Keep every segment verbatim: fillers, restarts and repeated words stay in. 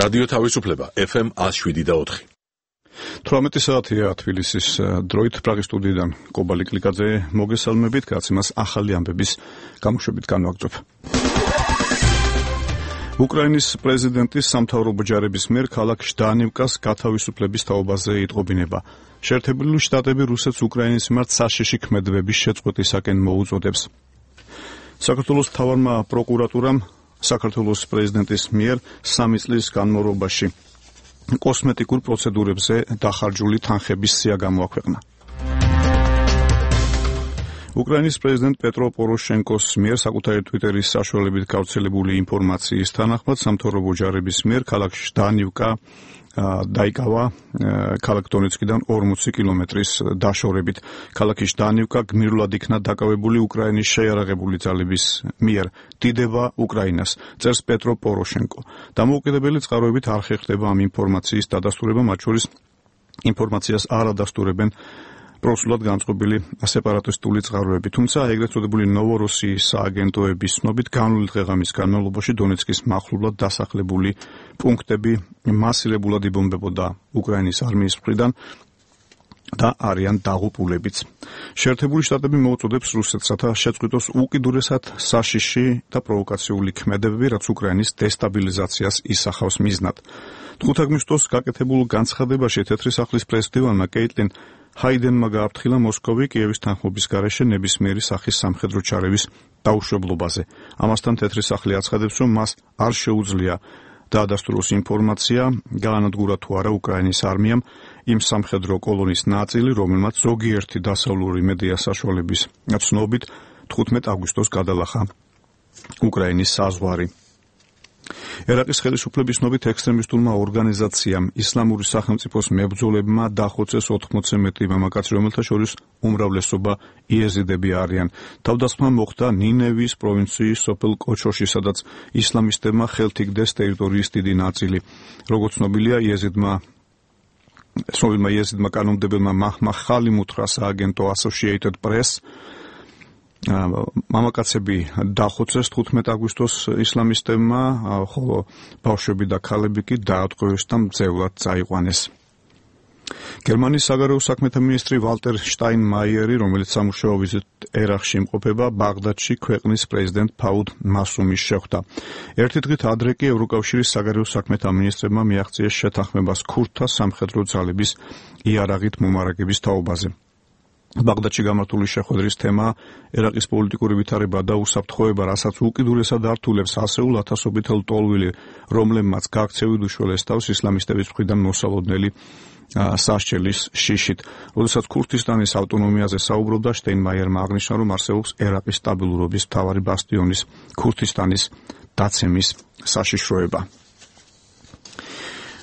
რადიო თავისუფლება ეფ ემ one oh seven და four. თვრამეტი საათია თბილისის დროით პრაღის სტუდიიდან კობალი კლიკაძე მოგესალმებით, გაცემას ახალი ამბების გამოშვებით განვაგრძობ. უკრაინის პრეზიდენტის სამთავრობო ჯარების მიერ ქალაქ ჟდანივკას გათავისუფლების თაობაზე იტყობინება. შეერთებული შტატები რუსეთს უკრაინის მიმართ საშიში ქმედებების შეწყვეტისაკენ მოუწოდებს. საქართველოს მთავარმა პროკურატურამ საქართველოს პრეზიდენტის მიერ სამი წლის განმავლობაში კოსმეტიკურ პროცედურებზე დახარჯული თანხების სია გამოაქვეყნა. უკრაინის პრეზიდენტ პეტრო პოროშენკოს მიერ საკუთარი ტვიტერის საშუალებით გავრცელებული ინფორმაციის თანახმად სამთავრობო ჯარების მიერ ქალაქ ჟდანივკა დაიკავა ქალაქ დონეცკიდან ორმოცი კილომეტრის დაშორებით. ქალაქი ჟდანივკა გმირულად იქნა დაკავებული უკრაინის შეიარაღებული ძალების მიერ. დიდება უკრაინას, წერს პეტრო პოროშენკო. დამოუკიდებელი წყაროებით არ ხერხდება ამ ინფორმაციის დადასტურება, მათ შორის ინფორმაციას არ ადასტურებენ პროსულად განწყობილი სეპარატისტული წყაროები. თუმცა ეგრეთ წოდებული ნოვოროსიის სააგენტოების ცნობით განვლილი დღეღამის განმავლობაში დონეცკის მახლობლად დასახლებული პუნქტები მასირებულად იბომბებოდა უკრაინის არმიის მხრიდან და არიან დაღუპულებიც. შეერთებული შტატები მოუწოდებს რუსეთს, რათა შეწყვიტოს უკიდურესად საშიში და პროვოკაციული ქმედებები, რაც უკრაინის დესტაბილიზაციას ისახავს მიზნად. ხუთ აგვისტოს გაკეთებულ განცხადებაში თეთრი სახლის პრეზიდენტმა კეიტლინ ჰაიდენმა გააფრთხილა მოსკოვი კიევის თანხმობის გარეშე ნებისმიერი სახის სამხედრო ჩარევის დაუშვებლობაზე. ამასთან თეთრი სახლი აცხადებს, რომ მას არ შეუძლია დაადასტუროს ინფორმაცია, გაანადგურა თუ არა უკრაინის არმიამ იმ სამხედრო კოლონის ნაწილი, რომელმაც ზოგიერთი დასავლური მედია საშუალების ცნობით თხუთმეტ აგვისტოს გადალახა უკრაინის საზღვარი. ერაყის ხელისუფლების ცნობით ექსტრემისტულმა ორგანიზაციამ ისლამური სახელმწიფოს მებრძოლებმა დახოცეს ოთხმოცზე მეტი მამაკაცი, რომელთა შორის უმრავლესობა იეზიდები არიან. თავდასხმა მოხდა ნინევის პროვინციის სოფელ კოჩოში, სადაც ისლამისტებმა ხელთიგდეს ტერიტორიის დიდი ნაწილი. როგორც ცნობილია, იეზიდმა ცნობილმა იეზიდმა კანონმდებელმა მაჰმა ხალიმ უთხრა სააგენტო Associated Press მამაკაცები დახოცეს თხუთმეტ აგვისტოს ისლამისტებმა, ხოლო ბავშვები და ქალები კი დაატყვევეს და მძევლად წაიყვანეს. გერმანიის საგარეო საქმეთა მინისტრი ვალტერ შტაინმაიერი, რომელიც სამუშაო ვიზიტ ერაყში იმყოფება, ბაღდადში ქვეყნის პრეზიდენტ ფაუდ მასუმის შეხვდა. ერთი დღით ადრე კი ევროკავშირის საგარეო საქმეთა მინისტრებმა მიაღწიეს შეთანხმებას ქურთთა სამხედრო ძალების იარაღით მომარაგების თაობაზე. ბაღდადში გამართული შეხვედრის თემა ერაყის პოლიტიკური ვითარება და უსაფრთხოება, რასაც უკიდურესად ართულებს ასეულ ათასობით ლტოლვილი, რომლებმაც გაქცევით უშველეს თავს ისლამისტების მხრიდან მოსალოდნელი სასჯელის შიშით. როდესაც ქურთისტანის ავტონომიაზე საუბრობდა, შტაინმაიერმა აღნიშნა, რომ არსებობს ერაყის სტაბილურობის მთავარი ბასტიონის ქურთისტანის დაცემის საშიშროება.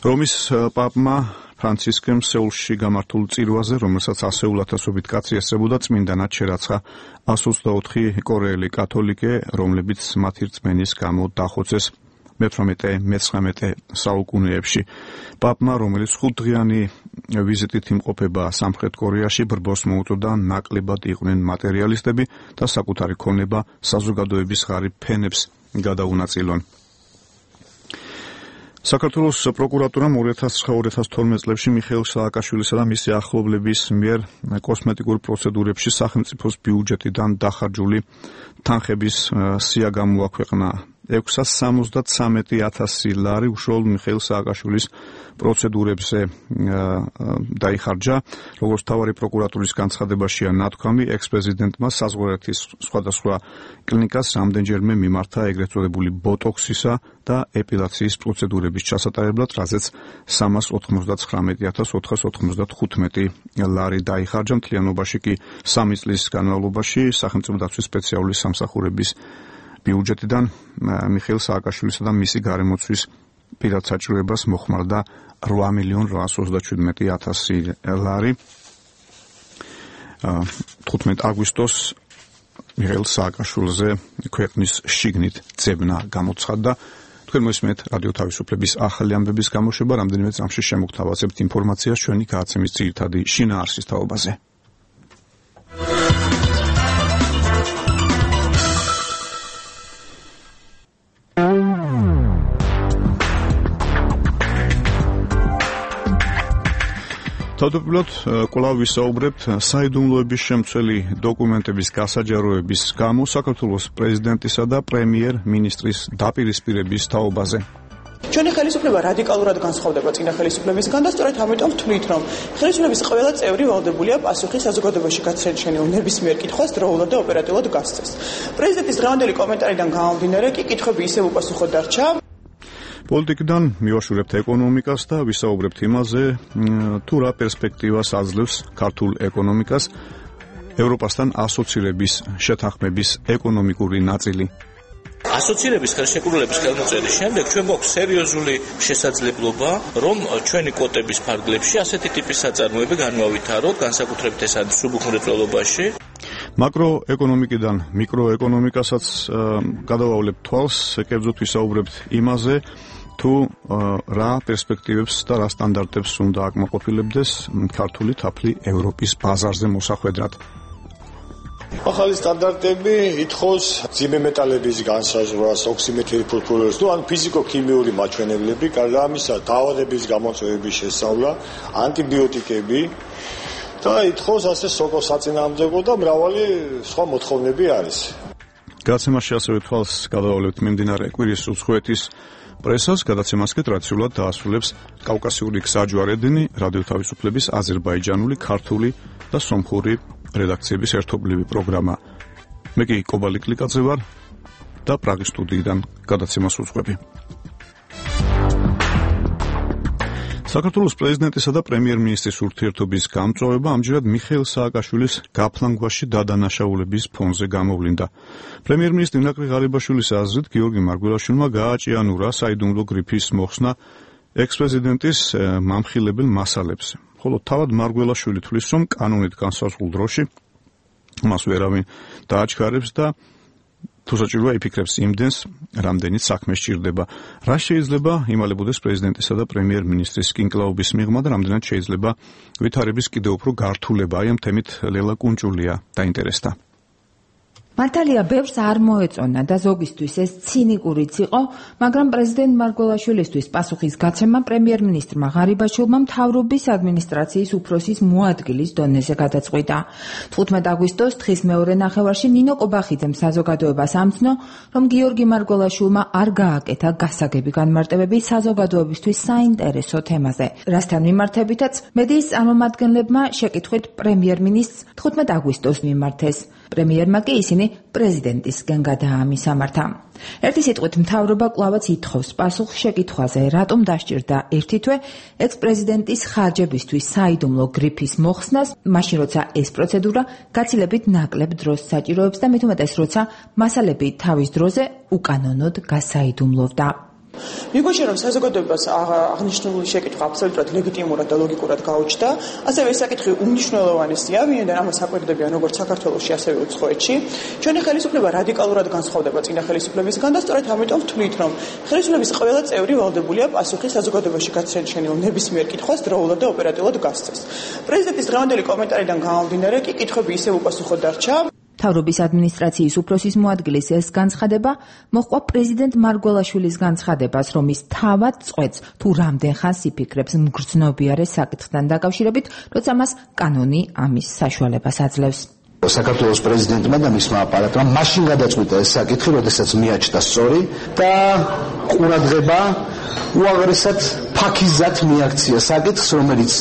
რომის პაპმა ფრანცისკემ სეულში გამართულ წირვაზე, რომელსაც ასეულ ათასობით კაცი ესწრებოდა, წმინდანად შერაცხა one hundred twenty-four კორეელი კათოლიკე, რომლებიც მათი რწმენის გამო დახოცეს მეთვრამეტე-მეცხრამეტე საუკუნეებში. პაპმა, რომელიც ხუთდღიანი ვიზიტით იმყოფება სამხრეთ კორეაში, ბრბოს მოუწოდა ნაკლებად იყვნენ მატერიალისტები და საკუთარი ქონება საზოგადოების ღარიბ ფენებს გადაუნაწილონ. საქართველოს პროკურატურამ two thousand nine two thousand twelve წლებში მიხეილ სააკაშვილისა და მისი ახლობლების მიერ კოსმეტიკურ პროცედურებში სახელმწიფოს ბიუჯეტიდან დახარჯული თანხების სია გამოაქვეყნა. ექვსას სამოცდათ სამეტი ათასი ლარი უშუალოდ მიხეილ სააკაშვილის პროცედურებზე დაიხარჯა. როგორც მთავარი პროკურატურის განცხადებაშია ნათქვამი, ექს-პრეზიდენტმა საზღვარეთის სხვადასხვა კლინიკას რამდენჯერმე მიმართა ეგრეთ წოდებული ბოტოქსისა და ეპილაციის პროცედურების ჩასატარებლად, რაზეც სამას ოთხმოცდათხრამეტი ათას ოთხას ოცდახუთმეტი ლარი დაიხარჯა. მთლიანობაში კი სამი წლის განმავლობაში სახელმწიფო დაცვის სპეციალური სამსახურების ბიუჯეტიდან მიხეილ სააკაშვილისა და მისი გარემოცვის პირად საჭიროებას მოხმარდა opt მილიონ რვაას ოცდაჩვიდმეტი ათასი ლარი. თხუთმეტ აგვისტოს მიხეილ სააკაშვილზე ქვეყნის შიგნით ძებნა გამოცხადდა. თქვენ მოსმენთ რადიო თავისუფლების ახალი ამბების გამოშვება, რამდენიმე წამში შემოგთავაზებთ ინფორმაციას ჩვენი გადაცემის ძირითადი შინაარსის თაობაზე. თავდაპირველად კვლავ ვისაუბრებთ საიდუმლოების შემცველი დოკუმენტების გასაჯაროების გამო საქართველოს პრეზიდენტისა და პრემიერ-მინისტრის დაპირისპირების თაობაზე. ჩვენი ხელისუფლება რადიკალურად განსხვავდება წინა ხელისუფლებისგან და სწორედ ამიტომ ვთვლით, რომ ხელისუფლების ყველა წევრი ვალდებულია პასუხი საზოგადოებაში გაცენჩენილ ნებისმიერ კითხვას დროულად და ოპერატიულად გასცეს. პრეზიდენტის დღევანდელი კომენტარიდან გამომდინარე კი კითხვები ისევ უპასუხოდ დარჩა. პოლიტიკიდან მივაშურებთ ეკონომიკას და ვისაუბრებთ იმაზე, თუ რა პერსპექტივას აძლევს ქართულ ეკონომიკას ევროპასთან ასოცირების შეთანხმების ეკონომიკური ნაწილი. ასოცირების ხელშეკრულების ხელმოწერის შემდეგ ჩვენ გვაქვს სერიოზული შესაძლებლობა, რომ ჩვენი კვოტების ფარგლებში ასეთი ტიპის საწარმოები განვავითაროთ, განსაკუთრებით ეს არის სუბუხმრეწველობაში. მაკროეკონომიკიდან მიკროეკონომიკასაც გადავავლებთ თვალს, კერძოდ ვისაუბრებთ იმაზე, თუ რა პერსპექტივებს და რა სტანდარტებს უნდა აკმაყოფილებდეს ქართული თაფლი ევროპის ბაზარზე მოსახვედრად. ახალი სტანდარტები ითხოვს მძიმე მეტალების განსაზღვრას, ოქსიმეტრი ფულფულებს, ანუ ფიზიკო-ქიმიური მაჩვენებლები, გარდა ამისა, დაავადების გამოწვევების შესწავლა, ანტიბიოტიკები და ითხოვს ასე სოკოს საწინააღმდეგო და მრავალი სხვა მოთხოვნები არის. გადაცემაში ასევე თვალს გადავავლებთ მიმდინარე კვირის უცხოეთის პრესას, გადაცემას კი ტრადიციულად დაასრულებს კავკასიური გზაჯვარედინი, რადიო თავისუფლების აზერბაიჯანული, ქართული და სომხური რედაქციების ერთობლივი პროგრამა. მე კი კობალი კლიკაძე ვარ და პრაღის სტუდიიდან გადაცემას უძღვები. საქართველოს პრეზიდენტისა და პრემიერ-მინისტრის ურთიერთობის გამწვავება ამჯერად მიხეილ სააკაშვილის გაფლანგვაში დადანაშაულების ფონზე გამოვლინდა. პრემიერ-მინისტრი ნაკლი ღარიბაშვილის აზრით, გიორგი მარგველაშვილმა გააჭიანურა საიდუმლო გრიფის მოხსნა ექს-პრეზიდენტის მამხილებელ მასალებს. ხოლო თავად მარგველაშვილი თვლის, რომ კანონით განსაზღვრულ დროში მას ვერავინ დააჩქარებს და თუ საჭიროა იფიქრებს იმდენს, რამდენიც საქმე სჭირდება. რა შეიძლება იმალებოდეს პრეზიდენტისა და პრემიერ-მინისტრის კინკლაობის მიღმა და რამდენად შეიძლება ვითარების კიდევ უფრო გართულება. აი ამ თემით ლელა კუნჭულია დაინტერესდა. მართალია, ბევრს არ მოეწონა და ზოგისთვის ეს ცინიკურიც იყო, მაგრამ პრეზიდენტ მარგველაშვილისთვის პასუხის გაცემა პრემიერ-მინისტრმა ღარიბაშვილმა მთავრობის ადმინისტრაციის უფროსის მოადგილის დონეზე გადაწყვიტა. თხუთმეტ აგვისტოს თხის მეორე ნახევარში ნინო კობახიძემ საზოგადოებას ამცნო, რომ გიორგი მარგველაშვილმა არ გააკეთა გასაგები განმარტებები საზოგადოებისთვის საინტერესო თემაზე. რასთან მიმართებითაც მედიის წარმომადგენლებმა შეკითხვით პრემიერ-მინისტრს თხუთმეტ აგვისტოს მიმართეს. პრემიერმა კი ისინი პრეზიდენტისგან გადაამისამართა. ერთი სიტყვით მთავრობა კვლავაც ითხოვს პასუხს შეკითხვაზე, რატომ დასჭირდა ერთი თვე ექს-პრეზიდენტის ხარჯებისთვის საიდუმლო გრიფის მოხსნას, მაშინ როცა ეს პროცედურა გაცილებით ნაკლებ დროს საჭიროებს და მით უმეტეს როცა მასალები თავის დროზე უკანონოდ გასაიდუმლოვდა. მიგვაჩნია, რომ საზოგადოებას აღნიშნული შეკითხვა აბსოლუტურად ლეგიტიმურად და ლოგიკურად გაუჩნდა, ასევე ეს საკითხი უმნიშვნელოვანესია, ვინაიდან ამას აკვირდებიან როგორც საქართველოში, ასევე უცხოეთში. ჩვენი ხელისუფლება რადიკალურად განსხვავდება წინა ხელისუფლებისგან და სწორედ ამიტომ ვთვლით, რომ ხელისუფლების ყველა წევრი ვალდებულია პასუხი საზოგადოებაში გაცენჩენილ ნებისმიერ კითხვას დროულად და ოპერატიულად გასცეს. პრეზიდენტის დღევანდელი კომენტარიდან გამომდინარე კი კითხვები ისევ უპასუხოდ დარჩა. მთავრობის ადმინისტრაციის უფროსის მოადგილის ეს განცხადება მოჰყვა პრეზიდენტ მარგველაშვილის განცხადებას, რომ ის თავად წყვეტს თუ რამდენ ხანს იფიქრებს მგრძნობიარე საკითხთან დაკავშირებით, როცა მას კანონი ამის საშუალებას აძლევს. საქართველოს პრეზიდენტმა და მისმა აპარატმა მაშინ გადაწყვიტა ეს საკითხი, როდესაც მიაჩნდა სწორი და ყურადღება უაღრესად ფაქიზად მიაქცია საკითხს, რომელიც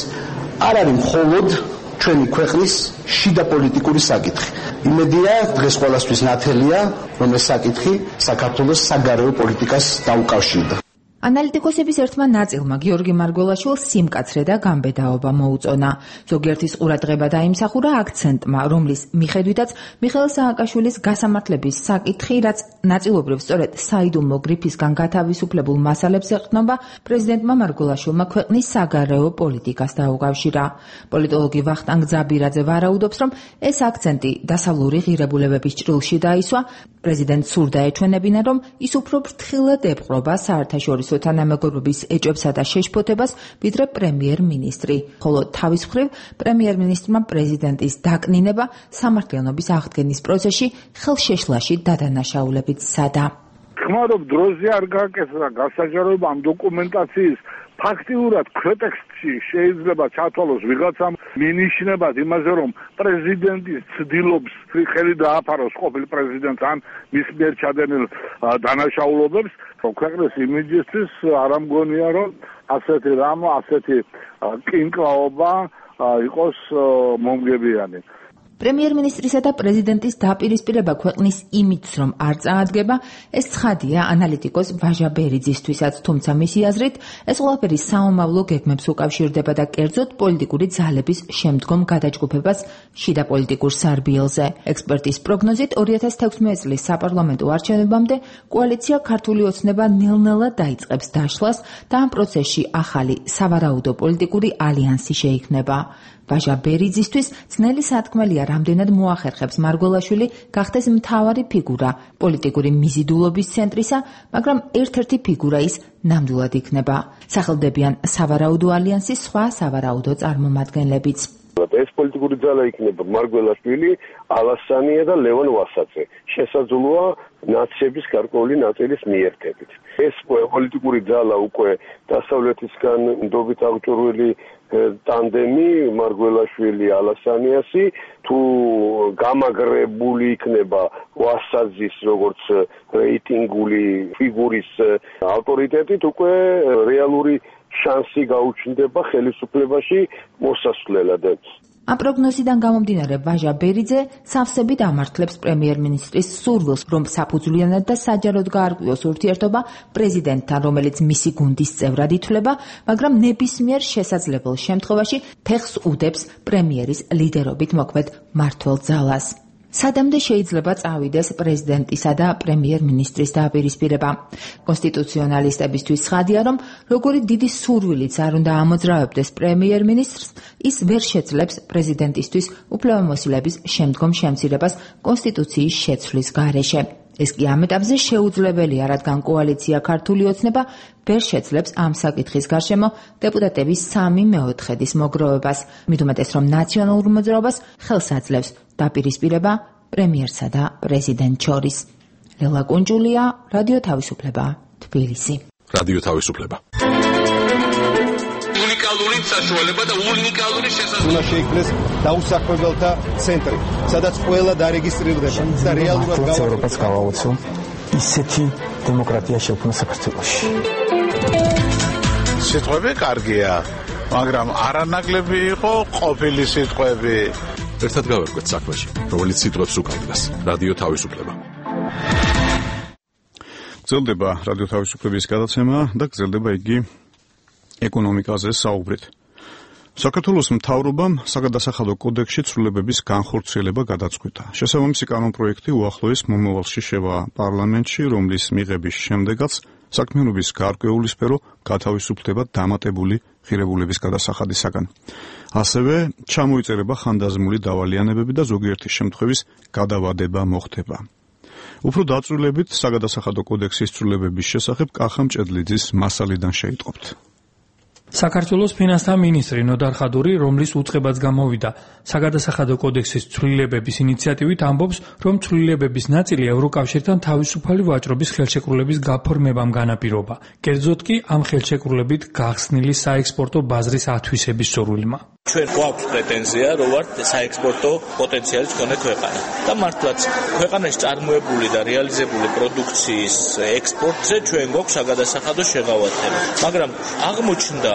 არ არის მხოლოდ ჩვენი ქვეყნის შიდა პოლიტიკური საკითხი. იმედია, დღეს ყველასთვის ნათელია, რომ ეს საკითხი საქართველოს საგარეო პოლიტიკას დაუკავშირდა. ანალიტიკოსების ერთმა ნაწილმა გიორგი მარგველაშვილს სიმკაცრე და გამბედაობა მოუწონა. ზოგიერთის ყურადღება დაიმსახურა აქცენტმა, რომლის მიხედვითაც მიხეილ სააკაშვილის გასამართლების საკითხი, რაც ნაწილობრივ სწორედ საიდუმლო გრიფისგან გათავისუფლებულ მასალებს ეყრდნობა, პრეზიდენტმა მარგველაშვილმა ქვეყნის საგარეო პოლიტიკას დაუკავშირა. პოლიტოლოგი ვახტანგ ძაბირაძე ვარაუდობს, რომ ეს აქცენტი დასავლური ღირებულებების ჭრილში დაისვა. პრეზიდენტს სურდა ეჩვენებინა, რომ ის უფრო ფრთხილად ეპყრობა საერთაშორისო თანამეგობრობის ეჭვებსა და შეშფოთებას, ვიდრე პრემიერ-მინისტრი. ხოლო თავის მხრივ პრემიერ-მინისტრმა პრეზიდენტის დაკნინება სამართლიანობის აღდგენის პროცესში ხელშეშლაში დადანაშაულებით სცადა. ხმარობ დროზე არ გააკეთა გასაჯაროება ამ დოკუმენტაციის ფაქტიურად ქვეტექსტ ფაქტში შეიძლება ჩათვალოს ვიღაცამ მინიშნებად იმაზე, რომ პრეზიდენტის ცდილობს ხელი დააფაროს ყოფილ პრეზიდენტს ან მის მიერ ჩადენილ დანაშაულობებს, ქვეყნის იმიჯისთვის არ ამგონია, რომ ასეთი რამ, ასეთი კინკლაობა იყოს მომგებიანი. პრემიერ-მინისტრისა და პრეზიდენტის დაპირისპირება ქვეყნის იმიჯს რომ არ წაადგება, ეს ცხადია ანალიტიკოს ვაჟა ბერიძისთვისაც, თუმცა მისი აზრით, ეს ყველაფერი საომავლო გეგმებს უკავშირდება და კერძოდ პოლიტიკური ძალების შემდგომ გადაჯგუფებას შიდა პოლიტიკურ სარბიელზე. ექსპერტის პროგნოზით ორი ათას თექვსმეტი წლის საპარლამენტო არჩევნებამდე კოალიცია ქართული ოცნება ნელ-ნელა დაიწყებს დაშლას და ამ პროცესში ახალი სავარაუდო პოლიტიკური ალიანსი შეიქმნება. ვაჟა ბერიძისთვის ძნელი სათქმელია რამდენად მოახერხებს მარგველაშვილი გახდეს მთავარი ფიგურა პოლიტიკური მიზიდულობის ცენტრისა, მაგრამ ერთ-ერთი ფიგურა ის ნამდვილად იქნება. სახელდებიან სავარაუდო ალიანსის სხვა სავარაუდო წარმომადგენლებიც. ეს პოლიტიკური ძალა იქნება მარგველაშვილი, ალასანია და ლევან ვასაძე. შესაძლოა ნაციების გარკვეული ნაწილის მიერთებით. ეს პოლიტიკური ძალა უკვე დასავლეთისგან ნდობით აღჭურვილი ტანდემი მარგველაშვილი ალასანიასი თუ გამაგრებული იქნება ვასაძის როგორც რეიტინგული ფიგურის ავტორიტეტით, უკვე რეალური შანსი გაუჩნდება ხელისუფლებაში მოსასვლელად. ამ პროგნოზიდან გამომდინარე ვაჟა ბერიძე სავსებით ამართლებს პრემიერ-მინისტრის სურვილს, რომ საფუძვლიანად და საჯაროდ გაარკვიოს ურთიერთობა პრეზიდენტთან, რომელიც მისი გუნდის წევრად ითვლება, მაგრამ ნებისმიერ შესაძლებელ შემთხვევაში ფეხს უდებს პრემიერის ლიდერობით მოქმედ მმართველ ძალას. სადამდე შეიძლება წავიდეს პრეზიდენტისა და პრემიერ-მინისტრის დაპირისპირება. კონსტიტუციონალისტებისთვის ცხადია, რომ როგორი დიდი სურვილიც არ უნდა ამოძრავებდეს პრემიერ-მინისტრს, ის ვერ შეძლებს პრეზიდენტისთვის უფლებამოსილების შემდგომ შემცირებას კონსტიტუციის შეცვლის გარეშე. ეს კი ამ ეტაპზე შეუძლებელია, რადგან კოალიცია ქართული ოცნება ვერ შეძლებს ამ საკითხის გარშემო დეპუტატების სამი მეოთხედის მოგროვებას. მით უმეტეს, რომ ნაციონალურ მოძრაობას ხელს აძლევს დაპირისპირება პრემიერსა და პრეზიდენტ შორის. ლელა კუნჯულია, რადიო თავისუფლება, თბილისი. რადიო თავისუფლება. უნიკალური საშუალება და უნიკალური შესაძლებლობა. შეიქმნეს დაუსახმებელთა ცენტრი, სადაც ყველა დარეგისტრირდება და რეალურად გავრცელებას გავაოცო ისეთი დემოკრატია შექმნა საქართველოში. სიტყვები კარგია, მაგრამ არანაკლები იყო ყოფილი სიტყვები. ერთად გავერკვეთ საქმეში, რომელიც სიტყვებს უკავშირდება. რადიო თავისუფლება. გრძელდება რადიო თავისუფლების გადაცემა და გრძელდება იგი ეკონომიკაზე საუბრით. საქართველოს მთავრობამ საგადასახადო კოდექსში ცვლილებების განხორციელება გადაწყვიტა. შესაბამისი კანონპროექტი უახლოეს მომავალში შევა პარლამენტში, რომლის მიღების შემდეგაც საქმიანობის გარკვეული სფერო გათავისუფლდება დამატებული ღირებულების გადასახადისაგან. ასევე ჩამოიწერება ხანდაზმული დავალიანებები და ზოგიერთი შემთხვევის გადავადება მოხდება. უფრო დაწვრილებით საგადასახადო კოდექსის ცვლილებების შესახებ კახა მჭედლიძის მასალიდან შეიტყობთ. საქართველოს ფინანსთა მინისტრი ნოდარ ხადური, რომლის უწყებაც გამოვიდა საგადასახადო კოდექსის ცვლილებების ინიციატივით, ამბობს, რომ ცვლილებების ნაწილი ევროკავშირთან თავისუფალი ვაჭრობის ხელშეკრულების გაფორმებამ განაპირობა. კერძოდ კი ამ ხელშეკრულებით გახსნილი საექსპორტო ბაზრის ათვისების სურვილმა. ჩვენ გვაქვს პრეტენზია, რომ ვართ საექსპორტო პოტენციალის მქონე ქვეყანა და მართლაც ქვეყანაში წარმოებული და რეალიზებული პროდუქციის ექსპორტზე ჩვენ გვაქვს საგადასახადო შეღავათება. მაგრამ აღმოჩნდა,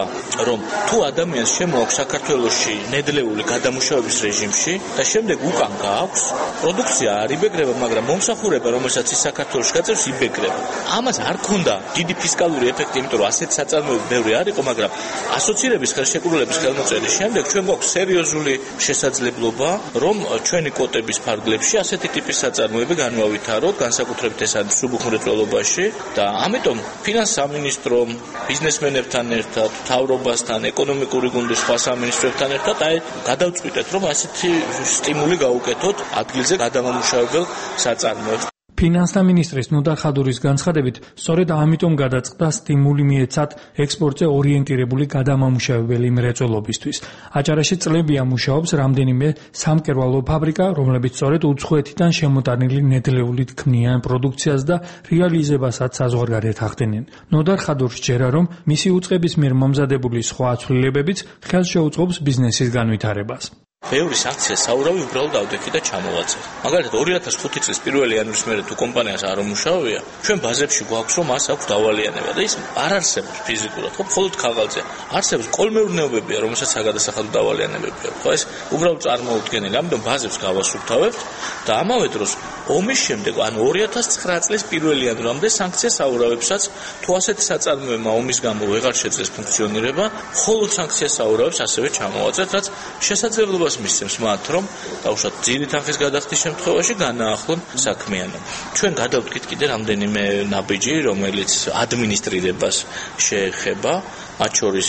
რომ თუ ადამიანს შემოაქვს საქართველოში ნედლეული გადამუშავების რეჟიმში და შემდეგ უკან გააქვს, პროდუქცია არ იბეგრება, მაგრამ მომსახურება, რომელსაც ის საქართველოში გაწევს, იბეგრება. ამას არ ქონდა დიდი ფისკალური ეფექტი, იმიტომ რომ ასეთ საწარმოები ბევრი არ იყო, მაგრამ ასოცირების ხელშეკრულების ხელმოწერის შემდეგ ჩვენ გვაქვს სერიოზული შესაძლებლობა, რომ ჩვენი კვოტების ფარგლებში ასეთი ტიპის საწარმოები განვავითაროთ, განსაკუთრებით ეს არის სუბუხმრეწველობაში და ამიტომ ფინანს სამინისტრომ, ბიზნესმენებთან ერთად, მთავრობასთან, ეკონომიკური გუნდის სხვა სამინისტროებთან ერთად აი გადავწყვიტეთ, რომ ასეთი სტიმული გავუკეთოთ ადგილზე გადამამუშავებელ საწარმოებს. ფინანსთა მინისტრის ნოდარ ხადურის განცხადებით, სწორედ ამიტომ გადაწყდა სტიმული მიეცათ ექსპორტზე ორიენტირებული გადამამუშავებელი მრეწველობისთვის. აჭარაში წლებია მუშაობს რამდენიმე სამკერვალო ფაბრიკა, რომლებიც სწორედ უცხოეთიდან შემოტანილი ნედლეულით ქმნიან პროდუქციას და რეალიზებასაც საზღვარგარეთ ახდენენ. ნოდარ ხადურს ჯერა, რომ მისი უწყების მიერ მომზადებული სხვა ცვლილებებიც ხელს შეუწყობს ბიზნესის განვითარებას. ბევრი სანქცია საურავი უბრალოდ ავდექი და ჩამოვაწერ. მაგალითად ორი ათას ხუთი წლის პირველი იანვრის მერე თუ კომპანიას არ უმუშავია, ჩვენ ბაზებში გვაქვს რომ მას აქვს დავალიანება და ის არ არსებობს ფიზიკურად, ხო, მხოლოდ ქაღალდზე. არსებობს კოლმეურნეობებია, რომელსაც საგადასახადო დავალიანებები აქვს. ხო, ეს უბრალოდ წარმოუდგენელი. ამიტომ ბაზებს გავასუფთავებთ და ამავე დროს ომის შემდეგ, ანუ ორი ათას ცხრა წლის პირველი იანვრამდე სანქცია საურავებსაც თუ ასეთი საწარმოებმა ომის გამო ვეღარ შეძლეს ფუნქციონირება, მხოლოდ სანქცია საურავებს ასევე ჩამოვაწერთ, რაც შესაძლებლობა მისცემს მათ, რომ დაუშვათ ძირი თანხის გადახდის შემთხვევაში განაახლონ საქმიანობა. ჩვენ გადავდგით კიდე რამდენიმე ნაბიჯი, რომელიც ადმინისტრირებას შეეხება, მათ შორის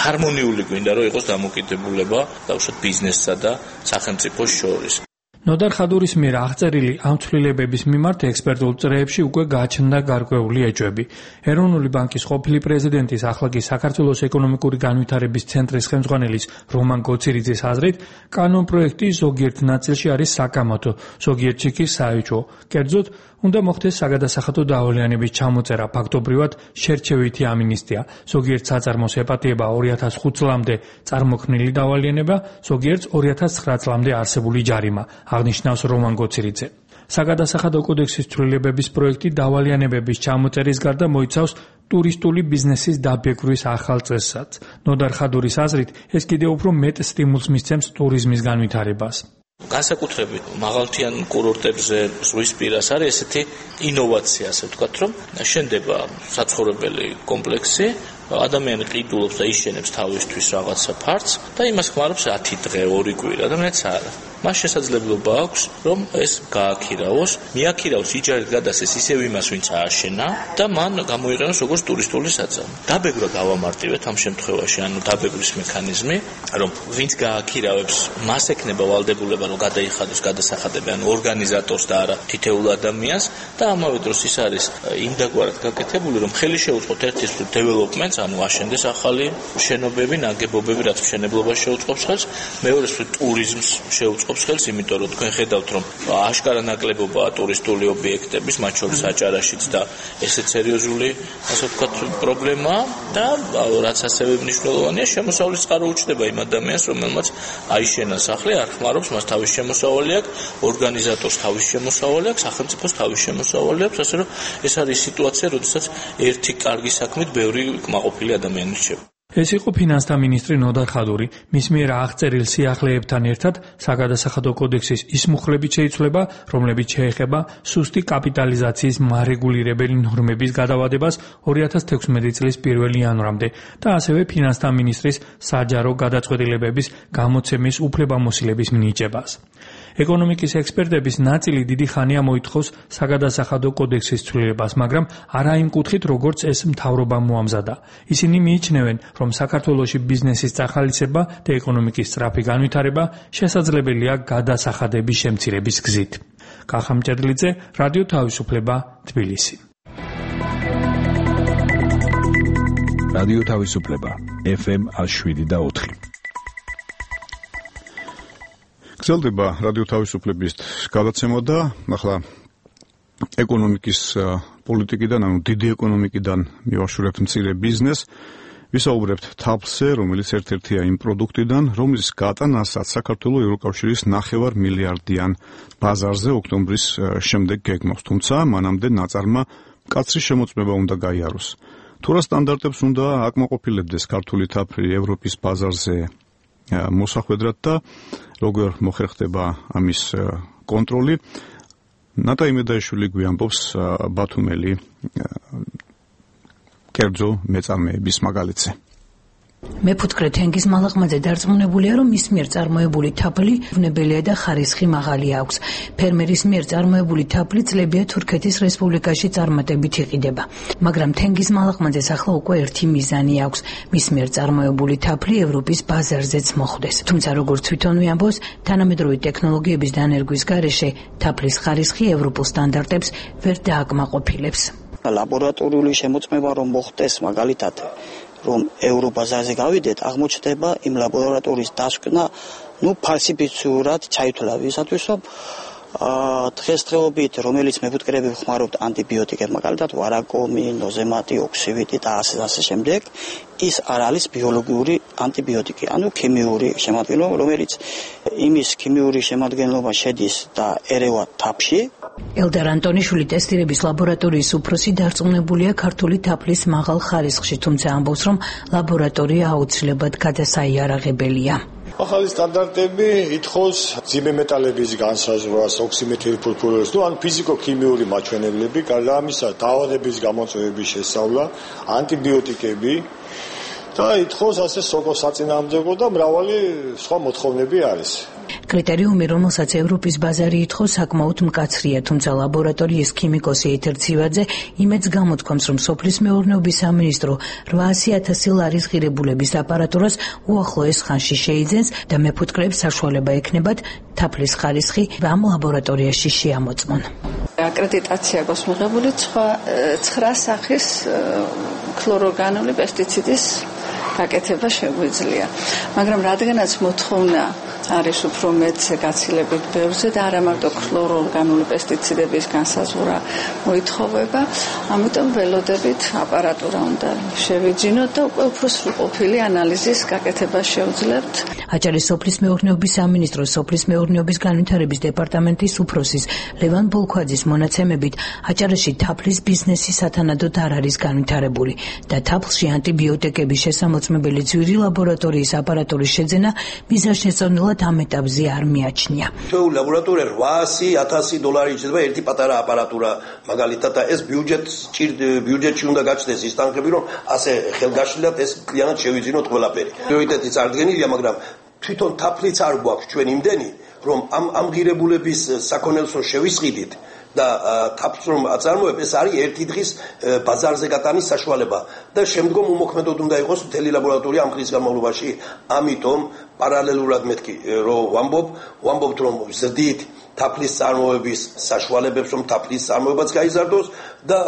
ჰარმონიული გვინდა, რომ იყოს დამოკიდებულება დაუშვათ ბიზნესსა და სახელმწიფოს შორის. ნოდარ ხადურის მიერ აღწერილი ამ ცვლილებების მიმართ ექსპერტულ წრეებში უკვე გაჩნდა გარკვეული ეჭვები. ეროვნული ბანკის ყოფილი პრეზიდენტის, ახლა კი საქართველოს ეკონომიკური განვითარების ცენტრის ხელმძღვანელის რომან გოცირიძის აზრით, კანონპროექტი ზოგიერთ ნაწილში არის საკამათო, ზოგიერთში კი საეჭვო. კერძოდ, უნდა მოხდეს საგადასახადო დავალიანების ჩამოწერა, ფაქტობრივად შერჩევითი ამინისტია. ზოგიერთ საწარმოს ეპატიება ორი ათას ხუთ წლამდე წარმოქმნილი დავალიანება, ზოგიერთს ორი ათას ცხრა წლამდე არსებული ჯარიმა, აღნიშნავს რომან გოცირიძე. საგადასახადო კოდექსის ცვლილებების პროექტი დავალიანებების ჩამოწერის გარდა მოიცავს ტურისტული ბიზნესის დაბეგვრის ახალ წესსაც. ნოდარ ხადურის აზრით, ეს კიდევ უფრო მეტ სტიმულს მისცემს ტურიზმის განვითარებას. განსაკუთრებით მაღალმთიან კურორტებზე ზღვისპირას არის ესეთი ინოვაცია, ასე ვთქვათ, რომ შენდება საცხოვრებელი კომპლექსი, ადამიანი ყიდულობს და იშენებს თავისთვის რაღაცა ფართს და იმას ხმარობს ათი დღე, ორი კვირა და მეც არა. მას შესაძლებლობა აქვს, რომ ეს გააქირაოს, მიაქირაოს იჯარით გადასცეს ისევ იმას, ვინც ააშენა და მან გამოიყენოს როგორც ტურისტული საწარმო. დაბეგრვა გავამარტივეთ ამ შემთხვევაში, ანუ დაბეგრის მექანიზმი, რომ ვინც გააქირავებს, მას ექნება ვალდებულება, რომ გადაიხადოს გადასახადები, ანუ ორგანიზატორს და არა თითოეულ ადამიანს და ამავე დროს ის არის იმდაგვარად გაკეთებული, რომ ხელი შეუწყოთ ერთის დეველოპმენტს, ანუ აშენდეს ახალი შენობები, ნაგებობები, რაც მშენებლობას შეუწყობს ხელს, მეორეს ტურიზმს შეუწყობს ხელს, იმიტომ რომ თქვენ ხედავთ, რომ აშკარა ნაკლებობაა ტურისტული ობიექტების, მათ შორის აჭარაშიც და ესეც სერიოზული, ასე ვთქვათ, პრობლემაა და რაც ასევე მნიშვნელოვანია, შემოსავლის წყარო უჩნდება იმ ადამიანს, რომელმაც აიშენა სახლი, არ ხმარობს, მას თავის შემოსავალი აქვს, ორგანიზატორს თავის შემოსავალი აქვს, სახელმწიფოს თავის შემოსავალი აქვს, ასე რომ ეს არის სიტუაცია, როდესაც ერთი კარგი საქმით ბევრი კმაყოფილი ადამიანი რჩება. ეს იყო ფინანსთა მინისტრი ნოდარ ხადური. მის მიერ აღწერილ სიახლეებთან ერთად საგადასახადო კოდექსის ის მუხლებით შეიცვლება, რომლებიც შეეხება სუსტი კაპიტალიზაციის მარეგულირებელი ნორმების გადავადებას ორი ათას თექვსმეტი წლის პირველი იანვრამდე და ასევე ფინანსთა მინისტრის საჯარო გადაწყვეტილებების გამოცემის უფლებამოსილების მინიჭებას. ეკონომიკის ექსპერტების ნაწილი დიდი ხანია მოითხოვს საგადასახადო კოდექსის ცვლილებას, მაგრამ არა იმ კუთხით, როგორც ეს მთავრობამ მოამზადა. ისინი მიიჩნევენ, რომ საქართველოში ბიზნესის წახალისება და ეკონომიკის სწრაფი განვითარება შესაძლებელია გადასახადების შემცირების გზით. კახა მჭედლიძე, რადიო თავისუფლება, თბილისი. რადიო თავისუფლება, ეფ ემ შვიდ და ოთხი. გრძელდება რადიო თავისუფლების გადაცემა და ახლა ეკონომიკის პოლიტიკიდან, ანუ დიდი ეკონომიკიდან მივაშურებთ მცირე ბიზნესს. ვისაუბრებთ თაფლზე, რომელიც ერთ-ერთია იმ პროდუქტიდან, რომლის გატანასაც საქართველოს ევროკავშირის ნახევარ მილიარდიან ბაზარზე ოქტომბრის შემდეგ გეგმავს, თუმცა მანამდე ნაწარმა მკაცრი შემოწმება უნდა გაიაროს. თუ რა სტანდარტებს უნდა აკმაყოფილებდეს ქართული თაფლი ევროპის ბაზარზე მოსახვედრად და როგორ მოხერხდება ამის კონტროლი, ნატა იმედაიშვილი გვიამბობს ბათუმელი კერძო მეწარმეების მაგალითზე. მეფუტკრე თენგიზ მალაღმაძე დარწმუნებულია, რომ მის მიერ წარმოებული თაფლი ვნებელია და ხარისხი მაღალი აქვს. ფერმერის მიერ წარმოებული თაფლი წლებია თურქეთის რესპუბლიკაში წარმატებით იყიდება. მაგრამ თენგიზ მალაღმაძეს ახლა უკვე ერთი მიზანი აქვს. მის მიერ წარმოებული თაფლი ევროპის ბაზარზეც მოხვდეს. თუმცა როგორც თვითონვე ამბობს, თანამედროვე ტექნოლოგიების დანერგვის გარეშე თაფლის ხარისხი ევროპულ სტანდარტებს ვერ დააკმაყოფილებს. ლაბორატორიული შემოწმება რომ მოხდეს მაგალითად რომ ევრობაზარზე გავიდეთ, აღმოჩნდება იმ ლაბორატორიის დასკვნა, ну, ფალსიფიცირად ჩაითვლა ვისათვის, რომ დღესდღეობით, რომელიც მეფუტკრეები ხმარობთ ანტიბიოტიკებს, მაგალითად ვარაკომი, ნოზემატი, ოქსივიტი და ასე ასე შემდეგ, ის არ არის ბიოლოგიური ანტიბიოტიკი, ანუ ქიმიური შემადგენლობა, რომელიც იმის ქიმიური შემადგენლობა შედის და ერევა თაფლში. ელდარ ანტონიშვილი ტესტირების ლაბორატორიის უფროსი დარწმუნებულია ქართული თაფლის მაღალ ხარისხში, თუმცა ამბობს, რომ ლაბორატორია აუცილებლად გადასაიარაღებელია. ახალი სტანდარტები ითხოვს ძიმე მეტალების განსაზღვრას, ოქსიმეთილფურფურილს, ну, ან ფიზიკო-ქიმიური მაჩვენებლები, გარდა ამისა, დაავადების გამოწვევების შესწავლა, ანტიბიოტიკები და ითხოვს ასე სოკო საწინააღმდეგო და მრავალი სხვა მოთხოვნები არის. კრიტერიუმი, რომელსაც ევროპის ბაზარი ითხოვს, საკმაოდ მკაცრია, თუმცა ლაბორატორიის ქიმიკოსი ეთერ ცივაძე იმედს გამოთქვამს, რომ სოფლის მეურნეობის სამინისტრო რვაასი ათასი ლარის ღირებულების აპარატურას უახლოეს ხანში შეიძენს და მეფუტკრეებს საშუალება ექნებათ თაფლის ხარისხი ამ ლაბორატორიაში შეამოწმონ. აკრედიტაცია აქვს მიღებული ცხრა სახის ქლორორგანული პესტიციდის გაკეთება შეგვიძლია. მაგრამ რადგანაც მოთხოვნა არის უფრო მეტზე გაცილებით ბევრზე და არა მარტო ქლორორგანული პესტიციდების განსაზღვრა მოითხოვება, ამიტომ ველოდებით აპარატურა უნდა შევიძინოთ და უკვე უფრო სრულყოფილი ანალიზის გაკეთება შევძლებთ. აჭარის სოფლის მეურნეობის სამინისტროს სოფლის მეურნეობის განვითარების დეპარტამენტის უფროსის ლევან ბოლქვაძის მონაცემებით, აჭარაში თაფლის ბიზნესი სათანადოდ არ არის განვითარებული და თაფლში ანტიბიოტიკების შესამოწმებელი ძვირი ლაბორატორიის აპარატურის შეძენა მიზანშეწონილად ამ ეტაპზე არ მიაჩნია. ჩვეულის ლაბორატორია რვაასი ათასი დოლარი შეიძლება ერთი პატარა აპარატურა მაგალითად და ეს ბიუჯეტს ბიუჯეტში უნდა გაჩნდეს ის თანხები, რომ ასე ხელგაშლილად ეს კლიანად შევიძინოთ ყველაფერი. პრიორიტეტი წარდგენილია, მაგრამ თვითონ თაფლიც არ გვაქვს ჩვენ იმდენი, რომ ამ ამ ღირებულების საქონელსო შევისყიდით და თაფლს რომ აწარმოებ, ეს არის ერთი დღის ბაზარზე გატანის საშუალება და შემდგომ უმოქმედოდ უნდა იყოს მთელი ლაბორატორია ამ ხნის განმავლობაში. ამიტომ პარალელურად მეთქი რომ ვამბობ, ვამბობთ რომ ზრდით თაფლის წარმოების საშუალებებს, რომ თაფლის წარმოებაც გაიზარდოს და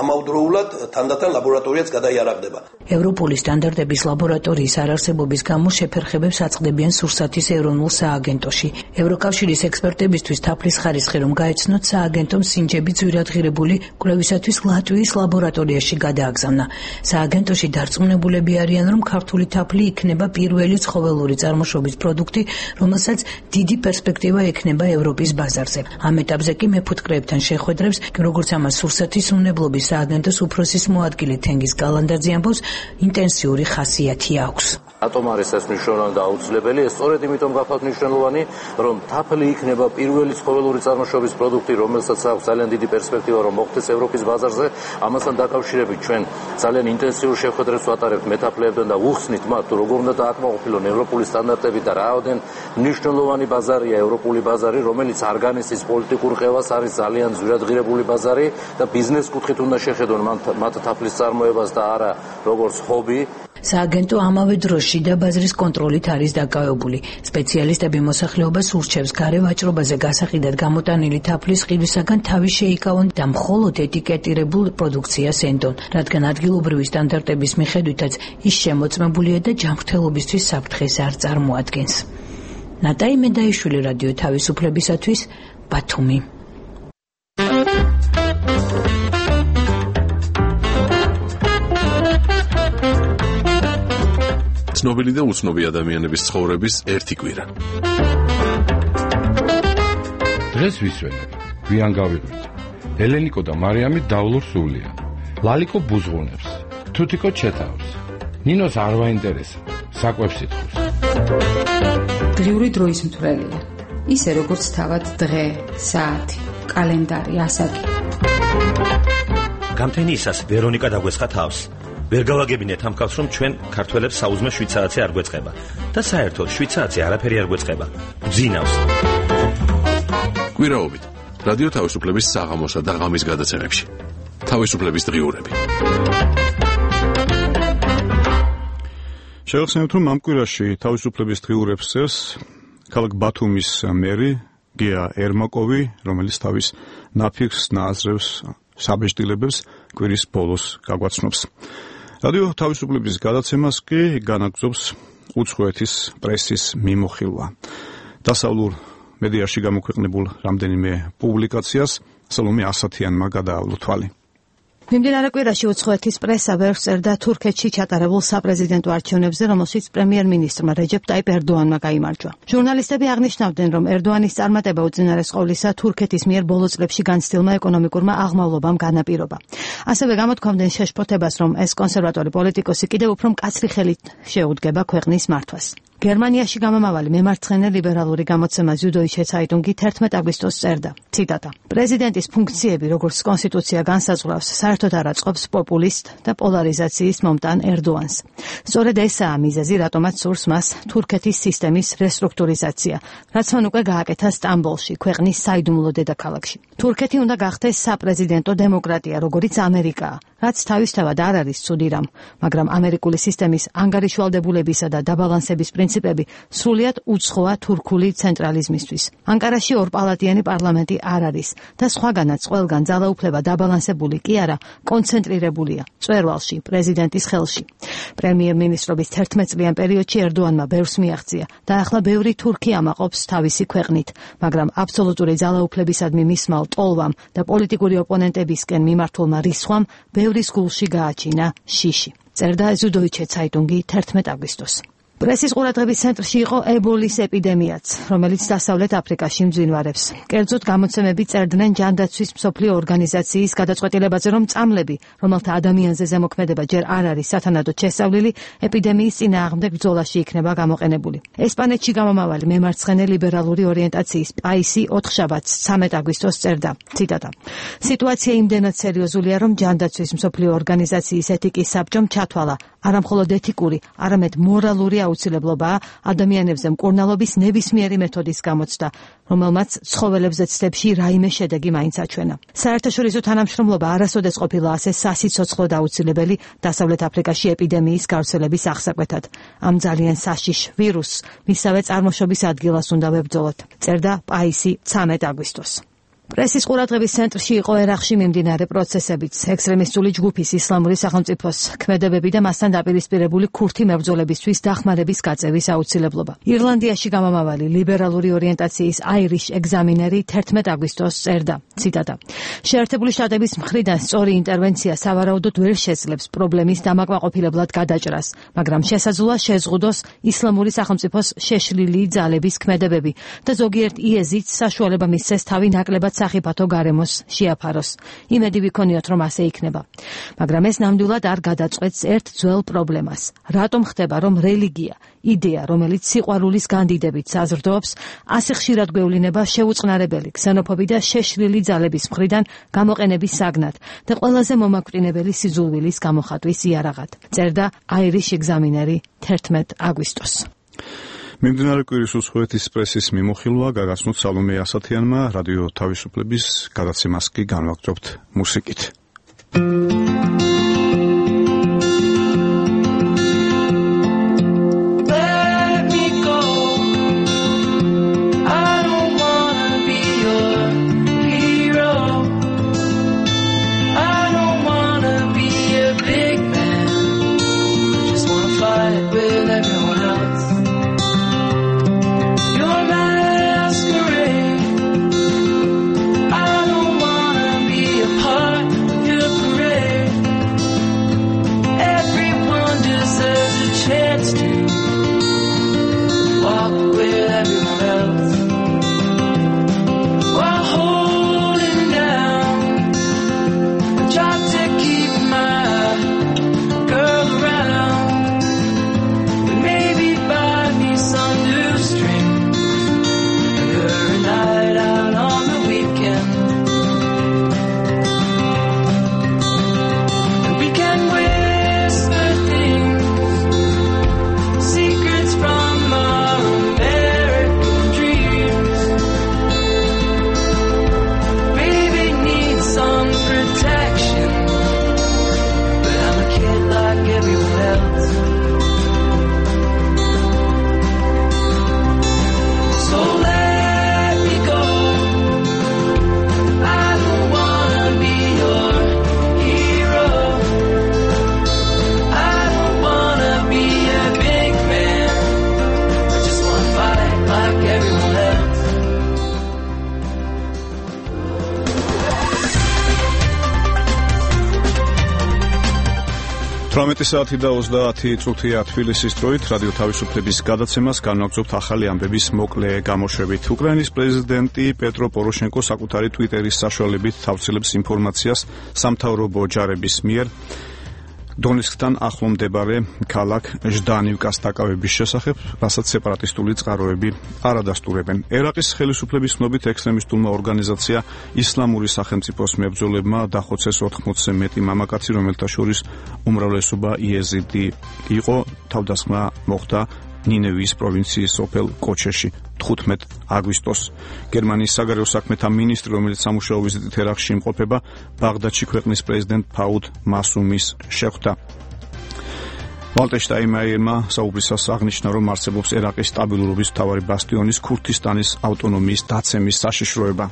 ამავდროულად თანდათან ლაბორატორიაც გადაიარაღდება. ევროპული სტანდარტების ლაბორატორიის არარსებობის გამო შეფერხებებს აწყდებიან სურსათის ეროვნულ სააგენტოში. ევროკავშირის ექსპერტებისთვის თაფლის ხარისხი რომ გაეცნოთ, სააგენტომ სინჯები ძვირადღირებული კვლევისათვის ლატვიის ლაბორატორიაში გადააგზავნა. სააგენტოში დარწმუნებულები არიან, რომ ქართული თაფლი იქნება პირველი ცხოველური წარმოშობის პროდუქტი, რომელსაც დიდი პერსპექტივა ექნება ევროპის ბაზარზე. ამ ეტაპზე კი მეფუტკრეებთან შეხვედრებს, როგორც ამას სურსათის უნებლობის სააგენტოს უფროსის მოადგილე თენგიზ კალანდაძე ამბობს, ინტენსიური ხასიათი აქვს. რატომ არის ეს მნიშვნელოვანი და აუცილებელი? ეს სწორედ იმიტომ გახავთ მნიშვნელოვანი, რომ თაფლი იქნება პირველი ცხოველური წარმოშობის პროდუქტი, რომელსაც აქვს ძალიან დიდი პერსპექტივა, რომ მოხდეს ევროპის ბაზარზე. ამასთან დაკავშირებით ჩვენ ძალიან ინტენსიურ შეხვედრებს ვატარებთ მეთაფლეებთან და ვუხსნით მათ, თუ როგორ უნდა დააკმაყოფილონ ევროპული სტანდარტები და რაოდენ მნიშვნელოვანი ბაზარია ევროპული ბაზარი, რომელიც არ განიცდის პოლიტიკურ ყევას, არის ძალიან ძვირადღირებული ბაზარი და ბიზნეს კუთხით უნდა შეხედონ მათ თაფლის წარმოებას და არა როგორც ჰობი. სააგენტო ამავე დროს შიდა ბაზრის კონტროლით არის დაკავებული. სპეციალისტები მოსახლეობას ურჩევს გარე ვაჭრობაზე გასაყიდად გამოტანილი თაფლის ყიდვისაგან თავი შეიკავონ და მხოლოდ ეტიკეტირებულ პროდუქციას ენდონ, რადგან ადგილობრივი სტანდარტების მიხედვითაც ის შემოწმებულია და ჯანმრთელობისთვის საფრთხეს არ წარმოადგენს. ნატაი მედაიშვილი, რადიო თავისუფლებისათვის, ბათუმი. ცნობილი და უცნობი ადამიანების ცხოვრების ერთი კვირა. დღეს ვისვენებ, გვიან გავიღვიძე. ელენიკო და მარიამი დავლურ სულიან. ლალიკო ბუზღუნებს, თუთიკო ჩეთავს. ნინოს არ ვაინტერესა, საკვებს ითხოვს. დღიური დროის მთვრელია. ისე როგორც თავად დღე, საათი, კალენდარი, ასაკი. გამთენიისას ვერონიკა დაგვესხა თავს. ვერ გავაგებინეთ ამ ქალს, რომ ჩვენ ქართველებს საუზმე შვიდ საათზე არ გვეწყება და საერთოდ შვიდ საათზე არაფერი არ გვეწყება. გძინავს. კვირაობით რადიო თავისუფლების საღამოსა და ღამის გადაცემებში. თავისუფლების დღიურები. შევხსენებთ, რომ ამ კვირაში თავისუფლების დღიურებს წერს ქალაქ ბათუმის მერი გია ერმაკოვი, რომელიც თავის ნაფიქს ნააზრევს საბეჭდილებებს კვირის ბოლოს გაგვაცნობს. რადიო თავისუფლების გადაცემას კი განაგრძობს უცხოეთის პრესის მიმოხილვა. დასავლურ მედიაში გამოქვეყნებულ რამდენიმე პუბლიკაციას სალომე ასათიანმა გადაავლო თვალი. მიმდინარე კვირაში უცხოეთის პრესა ვერ წერდა თურქეთში ჩატარებულ საპრეზიდენტო არჩევნებზე, რომელშიც პრემიერ-მინისტრმა რეჯეპ ტაიპ ერდოანმა გაიმარჯვა. ჟურნალისტები აღნიშნავდნენ, რომ ერდოანის წარმატება უწინარეს ყოვლისა თურქეთის მიერ ბოლო წლებში განცდილმა ეკონომიკურმა აღმავლობამ განაპირობა. ასევე გამოთქვამდნენ შეშფოთებას, რომ ეს კონსერვატორი პოლიტიკოსი კიდევ უფრო მკაცრი ხელით შეუდგება ქვეყნის მართვას. გერმანიაში გამომავალი მემარცხენე ლიბერალური გამოცემა ზუდოიჩე ცაიტუნგი თერთმეტ აგვისტოს წერდა. ციტატა: პრეზიდენტის ფუნქციები, როგორც კონსტიტუცია განსაზღვრავს, საერთოდ არ აწყობს პოპულისტ და პოლარიზაციის მომტან ერდოანს. სწორედ ესაა მიზეზი, რატომაც სურს მას თურქეთის სისტემის რესტრუქტურიზაცია, რაც მან უკვე გააკეთა სტამბოლში, ქვეყნის საიდუმლო დედაქალაქში. თურქეთი უნდა გახდეს საპრეზიდენტო დემოკრატია, როგორიც ამერიკაა, რაც თავისთავად არ არის ცუდი რამ, მაგრამ ამერიკული სისტემის ანგარიშვალდებულებისა და დაბალანსების პრინციპები სრულიად უცხოა თურქული ცენტრალიზმისთვის. ანკარაში ორპალატიანი პარლამენტი არ არის და სხვაგანაც ყველგან ძალაუფლება დაბალანსებული კი არა, კონცენტრირებულია მწვერვალში, პრეზიდენტის ხელში. პრემიერ-მინისტრობის თერთმეტ წლიან პერიოდში ერდოანმა ბევრს მიაღწია და ახლა ბევრი თურქი ამაყობს თავისი ქვეყნით, მაგრამ აბსოლუტური ძალაუფლებისადმი მისმა ტოლვამ და პოლიტიკური ოპონენტებისკენ მიმართულმა რისხვამ ბევრის გულში გააჩინა შიში. წერდა ზუდოიჩე ცაიტუნგი თერთმეტ აგვისტოს. პრესის ყურადღების ცენტრში იყო ებოლის ეპიდემიაც, რომელიც დასავლეთ აფრიკაში მძვინვარებს. კერძოდ გამოცემები წერდნენ ჯანდაცვის მსოფლიო ორგანიზაციის გადაწყვეტილებაზე, რომ წამლები, რომელთა ადამიანზე ზემოქმედება ჯერ არ არის სათანადოდ შესწავლილი, ეპიდემიის წინააღმდეგ ბრძოლაში იქნება გამოყენებული. ესპანეთში გამომავალი მემარცხენე ლიბერალური ორიენტაციის პაისი ოთხშაბათს ცამეტ აგვისტოს წერდა. ციტატა: სიტუაცია იმდენად სერიოზულია, რომ ჯანდაცვის მსოფლიო ორგანიზაციის ეთიკის საბჭომ ჩათვალა არამხოლოდ ეთიკური, არამედ მორალური აუცილებლობაა ადამიანებზე მკურნალობის ნებისმიერი მეთოდის გამოცდა, რომელმაც ცხოველებზე ცდებში რაიმე შედეგი მაინც აჩვენა. საერთაშორისო თანამშრომლობა არასოდეს ყოფილა ასე სასიცოცხლო და აუცილებელი დასავლეთ აფრიკაში ეპიდემიის გავრცელების აღსაკვეთად. ამ ძალიან საშიშ ვირუსს მისავე წარმოშობის ადგილას უნდა ვებრძოლოთ, წერდა პაისი ცამეტ აგვისტოს. პრესის ყურადღების ცენტრში იყო ერაყში მიმდინარე პროცესებიც, ექსტრემისტული ჯგუფის ისლამური სახელმწიფოს ქმედებები და მასთან დაპირისპირებული ქურთი მებრძოლებისთვის დახმარების გაწევის აუცილებლობა. ირლანდიაში გამომავალი ლიბერალური ორიენტაციის აირიშ ეგზამინერი თერთმეტ აგვისტოს წერდა. ციტატა: შეერთებული შტატების მხრიდან სწორი ინტერვენცია სავარაუდოდ ვერ შეძლებს პრობლემის დამაკმაყოფილებლად გადაჭრას, მაგრამ შესაძლოა შეზღუდოს ისლამური სახელმწიფოს შეშლილი ძალების ქმედებები და ზოგიერთ იეზიდს საშუალება მისცეს თავი ნაკლებად სახიფათო გარემოს შეაფაროს. იმედი ვიქონიოთ, რომ ასე იქნება. მაგრამ ეს ნამდვილად არ გადაწყვეტს ერთ ძველ პრობლემას. რატომ ხდება, რომ რელიგია, იდეა, რომელიც სიყვარულის განდიდებით საზრდოობს, ასე ხშირად გვევლინება შეუწყნარებელი, ქსენოფობი და შეშლილი ძალების მხრიდან გამოყენების საგნად და ყველაზე მომაკვდინებელი სიძულვილის გამოხატვის იარაღად. წერდა აირიშ ეგზამინერი თერთმეტ აგვისტოს. მიმდინარე კვირის უცხოეთის პრესის მიმოხილვა გაგაცნოთ სალომე ასათიანმა, რადიო თავისუფლების გადაცემას კი განვაგრძობთ მუსიკით. Masquerade. I don't wanna be a part თვრამეტი საათი და ოცდაათი წუთია თბილისის დროით რადიო თავისუფლების გადაცემას განვაგრძობთ ახალი ამბების მოკლე გამოშვებით. უკრაინის პრეზიდენტი პეტრო პოროშენკო საკუთარი ტვიტერის საშუალებით თავცელებს ინფორმაციას სამთავრობო ჯარების მიერ დონეცკთან ახლო მდებარე ქალაქ ჟდანივკას დაკავების შესახებ, რასაც სეპარატისტული წყაროები არ ადასტურებენ. ერაყის ხელისუფლების ცნობით ექსტრემისტულმა ორგანიზაცია ისლამური სახელმწიფოს მებრძოლებმა დახოცეს ოთხმოცზე მეტი მამაკაცი, რომელთა შორის უმრავლესობა იეზიდი იყო. თავდასხმა მოხდა ნინევის პროვინციის სოფელ კოჩეში თხუთმეტ აგვისტოს. გერმანიის საგარეო საქმეთა მინისტრი, რომელიც სამუშაო ვიზიტით ერაყში იმყოფება, ბაღდადში ქვეყნის პრეზიდენტ ფაუდ მასუმის შეხვდა. ვალტერ შტაინმაიერმა საუბრისას აღნიშნა, რომ არსებობს ერაყის სტაბილურობის მთავარი ბასტიონის ქურთისტანის ავტონომიის დაცემის საშიშროება.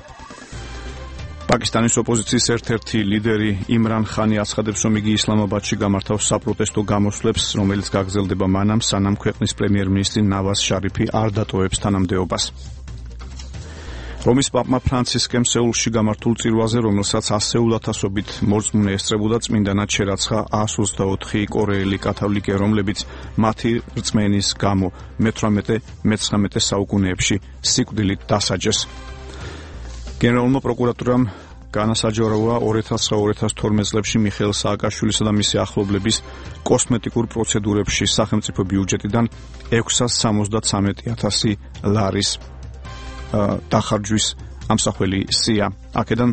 პაკისტანის ოპოზიციის ერთ-ერთი ლიდერი იმრან ხანი აცხადებს, რომ იგი ისლამაბადში გამართავს საპროტესტო გამოსვლებს, რომელიც გაგრძელდება მანამ, სანამ ქვეყნის პრემიერ-მინისტრი ნავაზ შარიფი არ დატოვებს თანამდებობას. რომის პაპმა ფრანცისკემ სეულში გამართულ წირვაზე, რომელსაც ასეულ ათასობით მორწმუნე ესწრებოდა, წმინდანად შერაცხა ას ოცდაოთხი კორეელი კათოლიკე, რომლებიც მათი რწმენის გამო მეთვრამეტე-მეცხრამეტე საუკუნეებში სიკვდილით დასაჯეს. გენერალურმა პროკურატურამ განასაჯაროვა ორი ათას ცხრა ორი ათას თორმეტ წლებში მიხეილ სააკაშვილისა და მისი ახლობლების კოსმეტიკურ პროცედურებში სახელმწიფო ბიუჯეტიდან ექვსას სამოცდათვრამეტი ათასი ლარის დახარჯვის ამსახველი სია. აქედან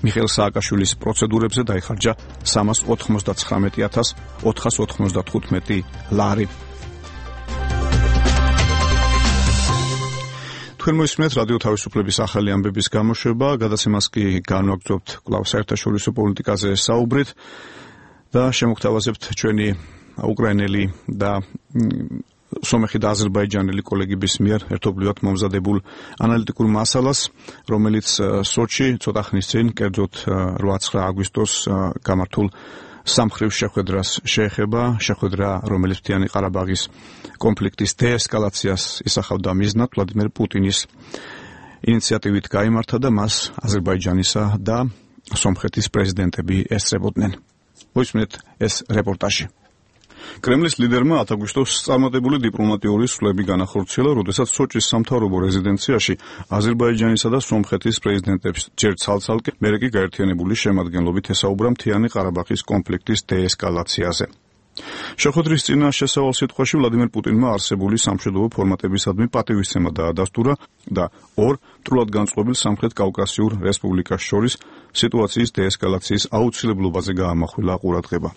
მიხეილ სააკაშვილის პროცედურებზე დაიხარჯა სამას ოთხმოცდათხრამეტი ათას ოთხას ოთხმოცდათხუთმეტი ლარი. თქვენ მოისმენთ რადიო თავისუფლების ახალი ამბების გამოშვება, გადაცემას კი განვაგრძობთ კვლავ საერთაშორისო პოლიტიკაზე საუბრით და შემოგთავაზებთ ჩვენი უკრაინელი და სომეხი და აზერბაიჯანელი კოლეგების მიერ ერთობლივად მომზადებულ ანალიტიკურ მასალას, რომელიც სოჩი ცოტა ხნის წინ, კერძოდ რვა ცხრა აგვისტოს გამართულ სამხრივ შეხვედრას შეეხება, შეხვედრა, რომელიც მთიანი ყარაბაღის კონფლიქტის დეესკალაციას ისახავდა მიზნად, ვლადიმერ პუტინის ინიციატივით გაიმართა და მას აზერბაიჯანისა და სომხეთის პრეზიდენტები ესწრებოდნენ. მოისმენთ ეს რეპორტაჟი. კრემლის ლიდერმა ათ აგვისტოს წარმატებული დიპლომატიური სვლები განახორციელა, როდესაც სოჭის სამთავრობო რეზიდენციაში აზერბაიჯანისა და სომხეთის პრეზიდენტებს ჯერ ცალ-ცალკე, მერე კი გაერთიანებული შემადგენლობით ესაუბრა მთიანი ყარაბაღის კონფლიქტის დეესკალაციაზე. შეხვედრის წინა შესავალ სიტყვაში ვლადიმერ პუტინმა არსებული სამშვიდობო ფორმატებისადმი პატივისცემა დაადასტურა და ორ მტრულად განწყობილ სამხრეთ კავკასიურ რესპუბლიკას შორის სიტუაციის დეესკალაციის აუცილებლობაზე გაამახვილა ყურადღება.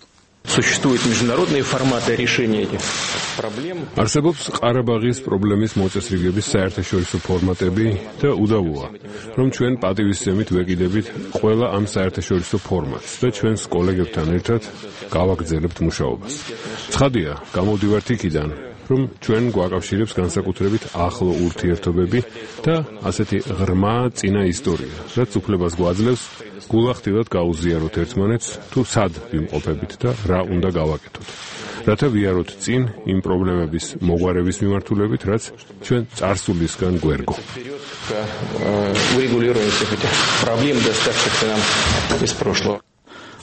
Существуют международные форматы решения этих проблем. არსებობს ყარაბაღის პრობლემის მოწესრიგების საერთაშორისო ფორმატები და უდავოა, რომ ჩვენ პატივისცემით ვეკიდებით ყველა ამ საერთაშორისო ფორმატს და ჩვენს კოლეგებთან ერთად გავაგრძელებთ მუშაობას. ცხადია, გამოვდივართ იქიდან, რომ ჩვენ გვაკავშირებს განსაკუთრებით ახლო ურთიერთობები და ასეთი ღრმა წინა ისტორია, რაც უფლებას გვაძლევს გულახდილად გაუზიაროთ ერთმანეთს თუ სად ვიმყოფებით და რა უნდა გავაკეთოთ. რათა ვიაროთ წინ იმ პრობლემების მოგვარების მიმართულებით, რაც ჩვენ წარსულისგან გვერგო.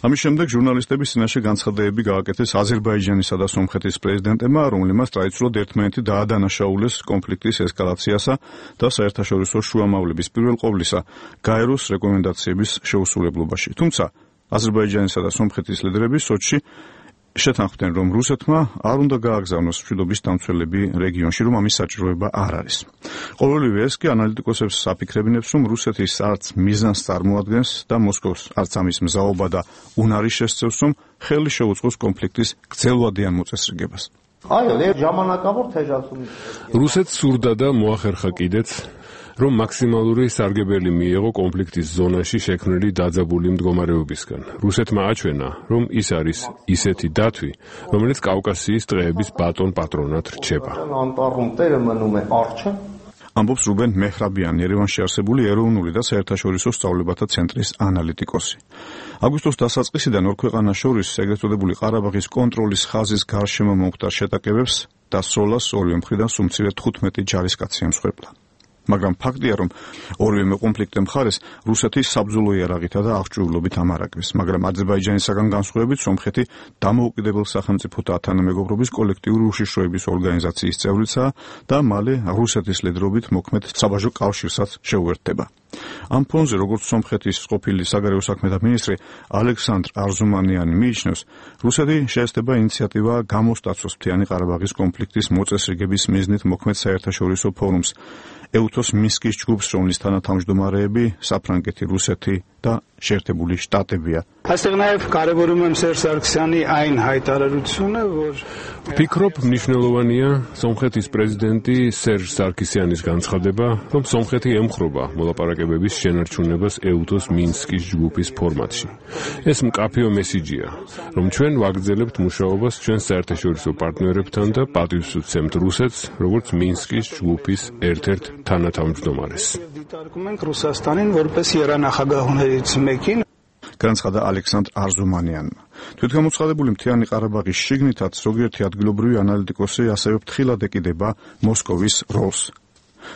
ამის შემდეგ ჟურნალისტების წინაშე განცხადებები გააკეთეს აზერბაიჯანისა და სომხეთის პრეზიდენტებმა, რომლებმაც ტრადიციულად ერთმანეთი დაადანაშაულეს კონფლიქტის ესკალაციასა და საერთაშორისო შუამავლების პირველ ყოვლისა გაეროს რეკომენდაციების შეუსრულებლობაში. თუმცა აზერბაიჯანისა და სომხეთის ლიდერები სოჩში შეთანხმდნენ, რომ რუსეთმა არ უნდა გააგზავნოს მშვიდობის დამცველები რეგიონში, რომ ამის საჭიროება არ არის. ყოველივე ეს კი ანალიტიკოსებს აფიქრებინებს, რომ რუსეთის არც მიზანს წარმოადგენს და მოსკოვს არც ამის მზაობა და უნარი შესწევს, რომ ხელი შეუწყოს კონფლიქტის გრძელვადიან მოწესრიგებას. რუსეთს სურდა და მოახერხა კიდეც, რომ მაქსიმალური სარგებელი მიეღო კონფლიქტის ზონაში შექმნილი დაძაბული მდგომარეობისგან. რუსეთმა აჩვენა, რომ ის არის ისეთი დათვი, რომელიც კავკასიის ტყეების ბატონ პატრონად რჩება. ამბობს რუბენ მეჰრაბიანი, ერევანში არსებული ეროვნული და საერთაშორისო სწავლებათა ცენტრის ანალიტიკოსი. აგვისტოს დასაწყისიდან ორ ქვეყანას შორის ეგრეთ წოდებული ყარაბაღის კონტროლის ხაზის გარშემო მომხდარ შეტაკებებს და სროლას ორივე მხრიდან სულ მცირე თხუთმეტი ჯარისკაცი ემსხვერპლა. მაგრამ ფაქტია, რომ ორივე კონფლიქტი მხარეს რუსეთის საბრძოლო იარაღითა და აღჭურვილობით ამარაგებს, მაგრამ აზერბაიჯანისაგან განსხვავებით სომხეთი დამოუკიდებელ სახელმწიფოთა თანამეგობრობის კოლექტიური უშიშროების ორგანიზაციის წევრიცაა და მალე რუსეთის ლიდერობით მოქმედ საბაჟო კავშირსაც შეუერთდება. ამ ფონზე, როგორც სომხეთის ყოფილი საგარეო საქმეთა მინისტრი ალექსანდრ არზუმანიანი მიიჩნევს, რუსეთი შეესწება ინიციატივა გამოსტაცოს მთიანი ყარაბაღის კონფლიქტის მოწესრიგების მიზნით მოქმედ საერთაშორისო ფორუმს, ეუთოს მინსკის ჯგუფს, რომლის თანათავმჯდომარეები საფრანგეთი, რუსეთი და შეერთებული შტატებია. ვფიქრობ, მნიშვნელოვანია სომხეთის პრეზიდენტი სერჟ სარქისიანის განცხადება, რომ სომხეთი ემხრობა მოლაპარაკებების შენარჩუნებას ეუთოს მინსკის ჯგუფის ფორმატში. ეს მკაფიო მესიჯია, რომ ჩვენ ვაგრძელებთ მუშაობას ჩვენ საერთაშორისო პარტნიორებთან და პატივს ვცემთ რუსეთს, როგორც მინსკის ჯგუფის ერთ-ერთ თანათავმჯდომარეს. განცხადა ალექსანდრ არზუმანიანმა. თვითგამოცხადებული მთიანი ყარაბაღის შიგნითაც ზოგიერთი ადგილობრივი ანალიტიკოსი ასევე ფრთხილად ეკიდება მოსკოვის როლს.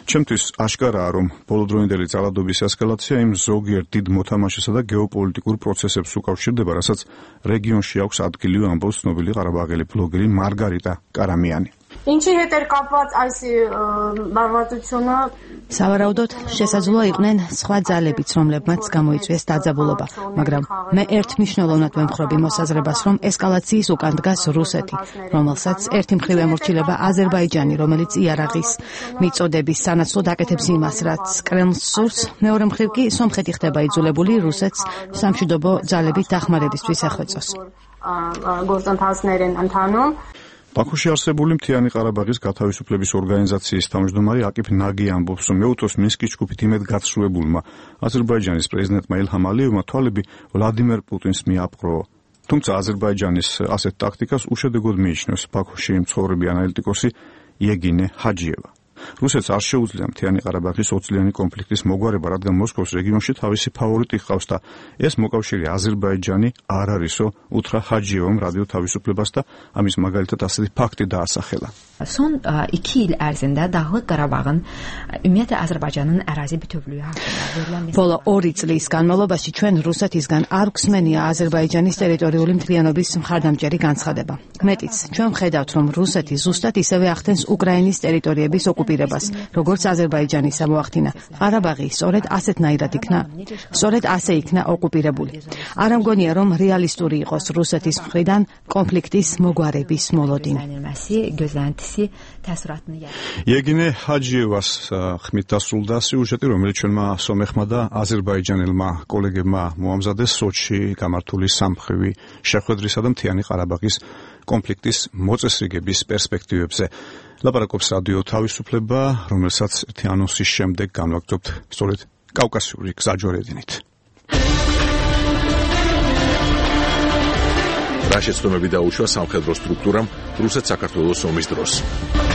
ჩემთვის აშკარაა, რომ ბოლოდროინდელი ძალადობის ესკალაცია იმ ზოგიერთ დიდ მოთამაშესა და გეოპოლიტიკურ პროცესებს უკავშირდება, რასაც რეგიონში აქვს ადგილი, ამბობს ცნობილი ყარაბაღელი ბლოგერი მარგარიტა კარამიანი. Ինչի հետ էր կապված այս բարվածությունը? Სავარაუდოდ შესაძლოა იყვნენ სხვა ძალებიც, რომლებმაც გამოიწვიეს დაძაბულობა, მაგრამ მე ერთ მნიშვნელოვნად ვემხრობი მოსაზრებას, რომ ესკალაციის უკან დგას რუსეთი, რომელსაც ერთი მხრივ ემორჩილება აზერბაიჯანი, რომელიც იარაღის მიწოდების სანაცვლოდ აკეთებს იმას, რაც კრემლს სურს, მეორე მხრივ კი სომხეთი ხდება იძულებული რუსეთს სამშვიდობო ძალებით დახმარებისთვის ეხვეწოს. գործընթացներ են ընթանում. ბაქოში არსებული მთიანი ყარაბაღის გათავისუფლების ორგანიზაციის თავმჯდომარე აკიფ ნაგი ამბობს, რომ ეუთოს მინსკის ჯგუფით იმედგაცრუებულმა აზერბაიჯანის პრეზიდენტმა ილჰამ ალიევმა თვალები ვლადიმერ პუტინს მიაპყრო. თუმცა აზერბაიჯანის ასეთ ტაქტიკას უშედეგოდ მიიჩნევს ბაქოში მცხოვრები ანალიტიკოსი იეგინე ჰაჯიევა. რუსეთს არ შეუძლია მთიანი ყარაბაღის ოცწლიანი კონფლიქტის მოგვარება, რადგან მოსკოვს რეგიონში თავისი ფავორიტი ჰყავს და ეს მოკავშირე აზერბაიჯანი არ არისო, უთხრა ჰაჯიევამ რადიო თავისუფლებას და ამის მაგალითად ასეთი ფაქტი დაასახელა. Son iki il ərzində Dağlıq Qarabağın ümumiyyətlə Azərbaycanın ərazi bütövlüyü haqqında ბოლო ორი წლის განმავლობაში ჩვენ რუსეთისგან არ გვსმენია აზერბაიჯანის ტერიტორიული მთლიანობის მხარდამჭერი განცხადება. მეტიც, ჩვენ ვხედავთ, რომ რუსეთი ზუსტად ისევე ახდენს უკრაინის ტერიტორიების ოკუპირებას, როგორც აზერბაიჯანის ამოახდინა. ყარაბაღი სწორედ ასეთნაირად იქნა, სწორედ ასე იქნა ოკუპირებული. არ ამგონია, რომ რეალისტური იყოს რუსეთის მხრიდან კონფლიქტის მოგვარების მოლოდინი. იეგინე ჰაჯიევას ხმით დასრულდა სიუჟეტი, რომელიც ჩვენმა სომეხმა და აზერბაიჯანელმა კოლეგებმა მოამზადეს სოჩში გამართული სამმხრივი შეხვედრისა და მთიანი ყარაბაღის კონფლიქტის მოწესრიგების პერსპექტივებზე. ლაპარაკობს რადიო თავისუფლება, რომელსაც ერთი ანონსის შემდეგ განვაგრძობთ სწორედ კავკასიური გზაჯვარედინით. რა შეცდომები დაუშვა სამხედრო სტრუქტურამ რუსეთ-საქართველოს ომის დროს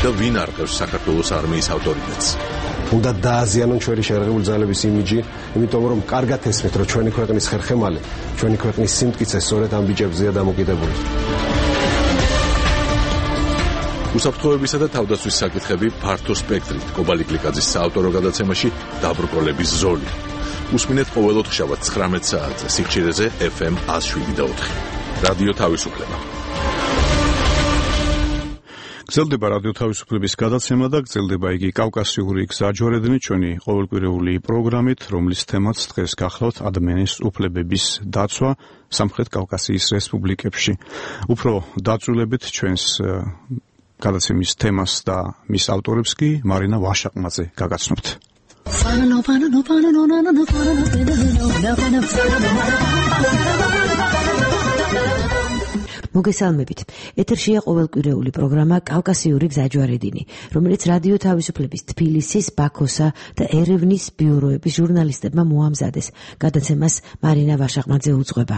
და ვინ არყევს საქართველოს არმიის ავტორიტეტს? უნდა დააზიანონ ჩვენი შეერაღებული ძალების იმიჯი, იმიტომ რომ კარგად ესმით, რომ ჩვენი ქვეყნის ხერხემალი, ჩვენი ქვეყნის სიმტკიცე სწორედ ამ ბიჭებზეა დამოკიდებული. უსაფრთხოებისა და თავდაცვის საკითხები ფართო სპექტრით კობალი კლიკაძის საავტორო გადაცემაში დაბრკოლების ზოლი. უსმინეთ ყოველოთხშაბათ ცხრამეტ საათზე სიხშირეზე ეფ ემ ათს შვიდი და ოთხი. რადიო თავისუფლება. გრძელდება რადიო თავისუფლების გადაცემა და გრძელდება იგი კავკასიური გზაჯვარედინი ჩვენი ყოველკვირეული პროგრამით, რომლის თემაც დღეს გახლავთ ადამიანის უფლებების დაცვა სამხრეთ კავკასიის რესპუბლიკებში. უფრო დაწვრილებით ჩვენს გადაცემის თემას და მის ავტორებს კი მარინა ვაშაყმაძე გაგაცნობთ. მოგესალმებით. ეთერშია ყოველკვირეული პროგრამა კავკასიური გზაჯვარედინი, რომელიც რადიო თავისუფლების თბილისის, ბაქოსა და ერევნის ბიუროების ჟურნალისტებმა მოამზადეს. გადაცემას მარინა ვაშაყმაძე უძღვება.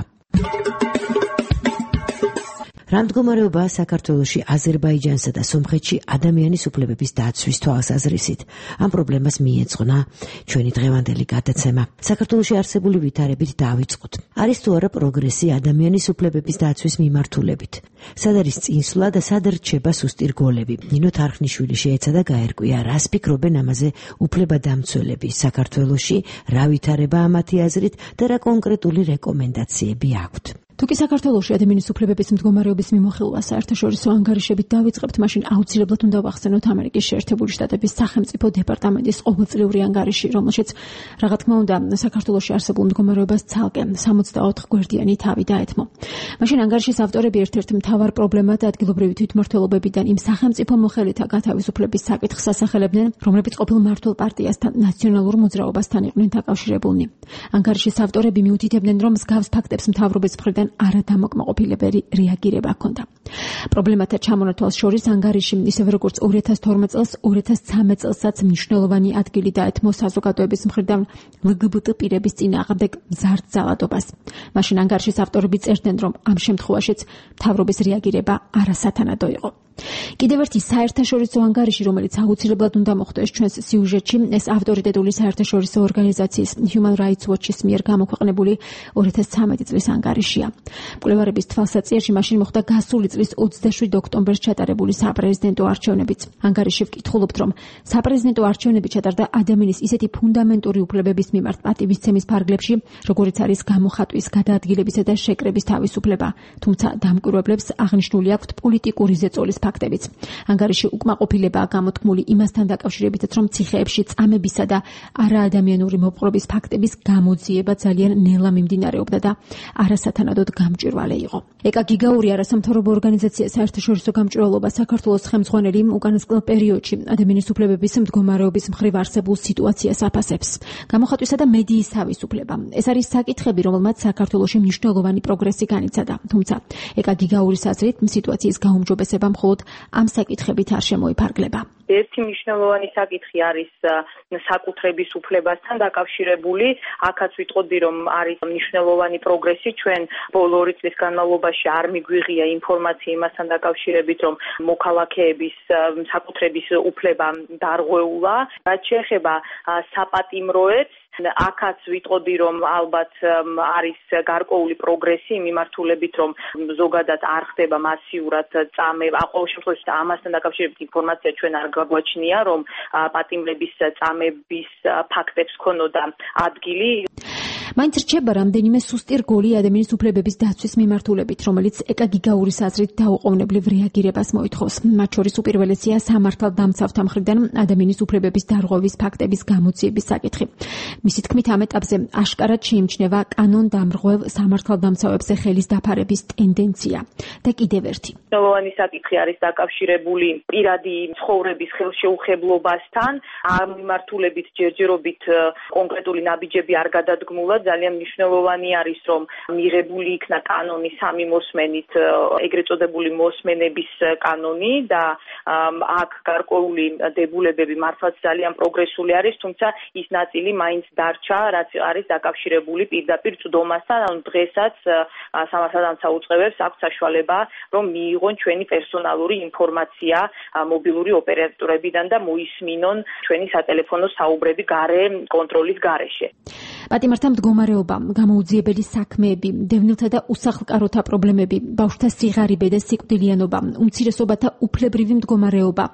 რა მდგომარეობაა საქართველოში აზერბაიჯანსა და სომხეთში ადამიანის უფლებების დაცვის თვალსაზრისით? ამ პრობლემას მიეძღვნა ჩვენი დღევანდელი გადაცემა. საქართველოში არსებული ვითარებით დავიწყოთ. არის თუ არა პროგრესი ადამიანის უფლებების დაცვის მიმართულებით? სად არის წინსვლა და სად რჩება სუსტი რგოლები? ნინო თარხნიშვილი შეეცადა გაერკვია, რას ფიქრობენ ამაზე უფლებადამცველები საქართველოში, რა ვითარებაა მათი აზრით და რა კონკრეტული რეკომენდაციები აქვთ. თუკი საქართველოში ადამიანის უფლებების მდგომარეობის მიმოხილვა საერთაშორისო ანგარიშებით დავიწყებთ, მაშინ აუცილებლად უნდა ვახსენოთ ამერიკის შეერთებული შტატების სახელმწიფო დეპარტამენტის ყოველწლიური ანგარიში, რომელშიც რა თქმა უნდა საქართველოში არსებულ მდგომარეობას ცალკე სამოცდაოთხ გვერდიანი თავი დაეთმო. მაშინ ანგარიშის ავტორები ერთ-ერთ მთავარ პრობლემად ადგილობრივი თვითმმართველობებიდან იმ სახელმწიფო მოხელეთა გათავისუფლების საკითხს ასახელებდნენ, რომლებიც ყოფილ მმართველ პარტიასთან ნაციონალურ მოძრაობასთან იყვნენ დაკავშირებულნი. ანგარიშის ავტორები მიუთითებდნენ, რომ მსგავს ფაქტებს მთავრობის მხრიდან არადამოკმაყოფილებელი რეაგირება ჰქონდა. პრობლემათა ჩამონათვალს შორის ანგარიში, ისევე როგორც ორი ათას თორმეტ წელს, ორი ათას ცხრამეტ წელსაც მნიშვნელოვანი ადგილი დაეთმო საზოგადოების მხრიდან ლგბტ პირების წინააღმდეგ მზარდ ძალადობას. მაშინ ანგარიშის ავტორები წერდნენ, რომ ამ შემთხვევაშიც მთავრობის რეაგირება არასათანადო იყო. კიდევ ერთი საერთაშორისო ანგარიში, რომელიც აუცილებლად უნდა მოხვდეს ჩვენს სიუჟეტში, ეს ავტორიტეტული საერთაშორისო ორგანიზაციის Human Rights Watch-ის მიერ გამოქვეყნებული ორი ათას ცხრამეტი წლის ანგარიშია. მკვლევარების თვალსაჩინოში მაშინ მოხდა გასული წლის ოცდაშვიდ ოქტომბერს ჩატარებული საპრეზიდენტო არჩევნებიც. ანგარიში ვკითხულობთ, რომ საპრეზიდენტო არჩევნები ჩატარდა ადამიანის ისეთი ფუნდამენტური უფლებების მიმართ პატივისცემის ფარგლებში, როგორიც არის გამოხატვის, გადაადგილებისა და შეკრების თავისუფლება, თუმცა დამკვირვებლებს აღნიშნული აქვთ პოლიტიკური ზეწოლის ფაქტებიც. ანგარიში უკმაყოფილებაა გამოთქმული იმასთან დაკავშირებითაც, რომ ციხეებში წამებისა და არაადამიანური მოპყრობის ფაქტების გამოძიება ძალიან ნელა მიმდინარეობდა და არასათანადოდ გამჭვირვალე იყო. ეკა გიგაური არასამთავრობო ორგანიზაცია საერთაშორისო გამჭვირვალობა საქართველოს ხელმძღვანელი უკანასკნელ პერიოდში ადამიანის უფლებების მდგომარეობის მხრივ არსებულ სიტუაციას აფასებს. გამოხატვისა და მედიის თავისუფლება. ეს არის საკითხები, რომელმაც საქართველოში მნიშვნელოვანი პროგრესი განიცადა. თუმცა ეკა გიგაურის აზრით სიტუაციის გაუმჯობესება მხოლოდ ამ საკითხებით არ შემოიფარგლება. ერთი მნიშვნელოვანი საკითხი არის საკუთრების უფლებასთან დაკავშირებული. აქაც ვიტყოდი, რომ არის მნიშვნელოვანი პროგრესი. ჩვენ ბოლო ორი წლის განმავლობაში არ მიგვიღია ინფორმაცია იმასთან დაკავშირებით, რომ მოქალაქეების საკუთრების უფლება დარღვეულა. რაც შეეხება საპატიმროებს, აქაც ვიტყოდი, რომ ალბათ არის გარკვეული პროგრესი მიმართულებით, რომ ზოგადად არ ხდება მასიურად წამე, ყოველ შემთხვევაში ამასთან დაკავშირებით ინფორმაცია ჩვენ არ გაგვაჩნია, რომ პატიმრების წამების ფაქტებს ქონოდა ადგილი. მაინც რჩება რამდენიმე სუსტი რგოლი ადამიანის უფლებების დაცვის მიმართულებით, რომელიც ეკა გიგაურის აზრით დაუყოვნებლივ რეაგირებას მოითხოვს. მათ შორის უპირველესია სამართალდამცავთა მხრიდან ადამიანის უფლებების დარღვევის ფაქტების გამოძიების საკითხი. მისი თქმით, ამ ეტაპზე აშკარად შეიმჩნევა კანონდამრღვევ სამართალდამცავებზე ხელის დაფარების ტენდენცია. და კიდევ ერთი მნიშვნელოვანი საკითხი არის დაკავშირებული პირადი ცხოვრების ხელშეუხებლობასთან. ამ მიმართულებით ჯერჯერობით კონკრეტული ნაბიჯები არ გადადგმულა. ძალიან მნიშვნელოვანი არის, რომ მიღებული იქნა კანონი სამი მოსმენით, ეგრეთ წოდებული მოსმენების კანონი და აქ გარკვეული დებულებები მართლაც ძალიან პროგრესული არის, თუმცა ის ნაწილი მაინც დარჩა, რაც არის დაკავშირებული პირდაპირ წვდომასთან. ანუ დღესაც სამართალდამცავ უწყებებს აქვს საშუალება, რომ მიიღონ ჩვენი პერსონალური ინფორმაცია მობილური ოპერატორებიდან და მოისმინონ ჩვენი სატელეფონო საუბრები გარე კონტროლის გარეშე. პატიმართა მდგომარეობა, გამოუძიებელი საქმეები, დევნილთა და უსახლკაროთა პრობლემები, ბავშვთა სიღარიბე და სიკვდილიანობა, უმცირესობათა უფლებრივი მდგომარეობა.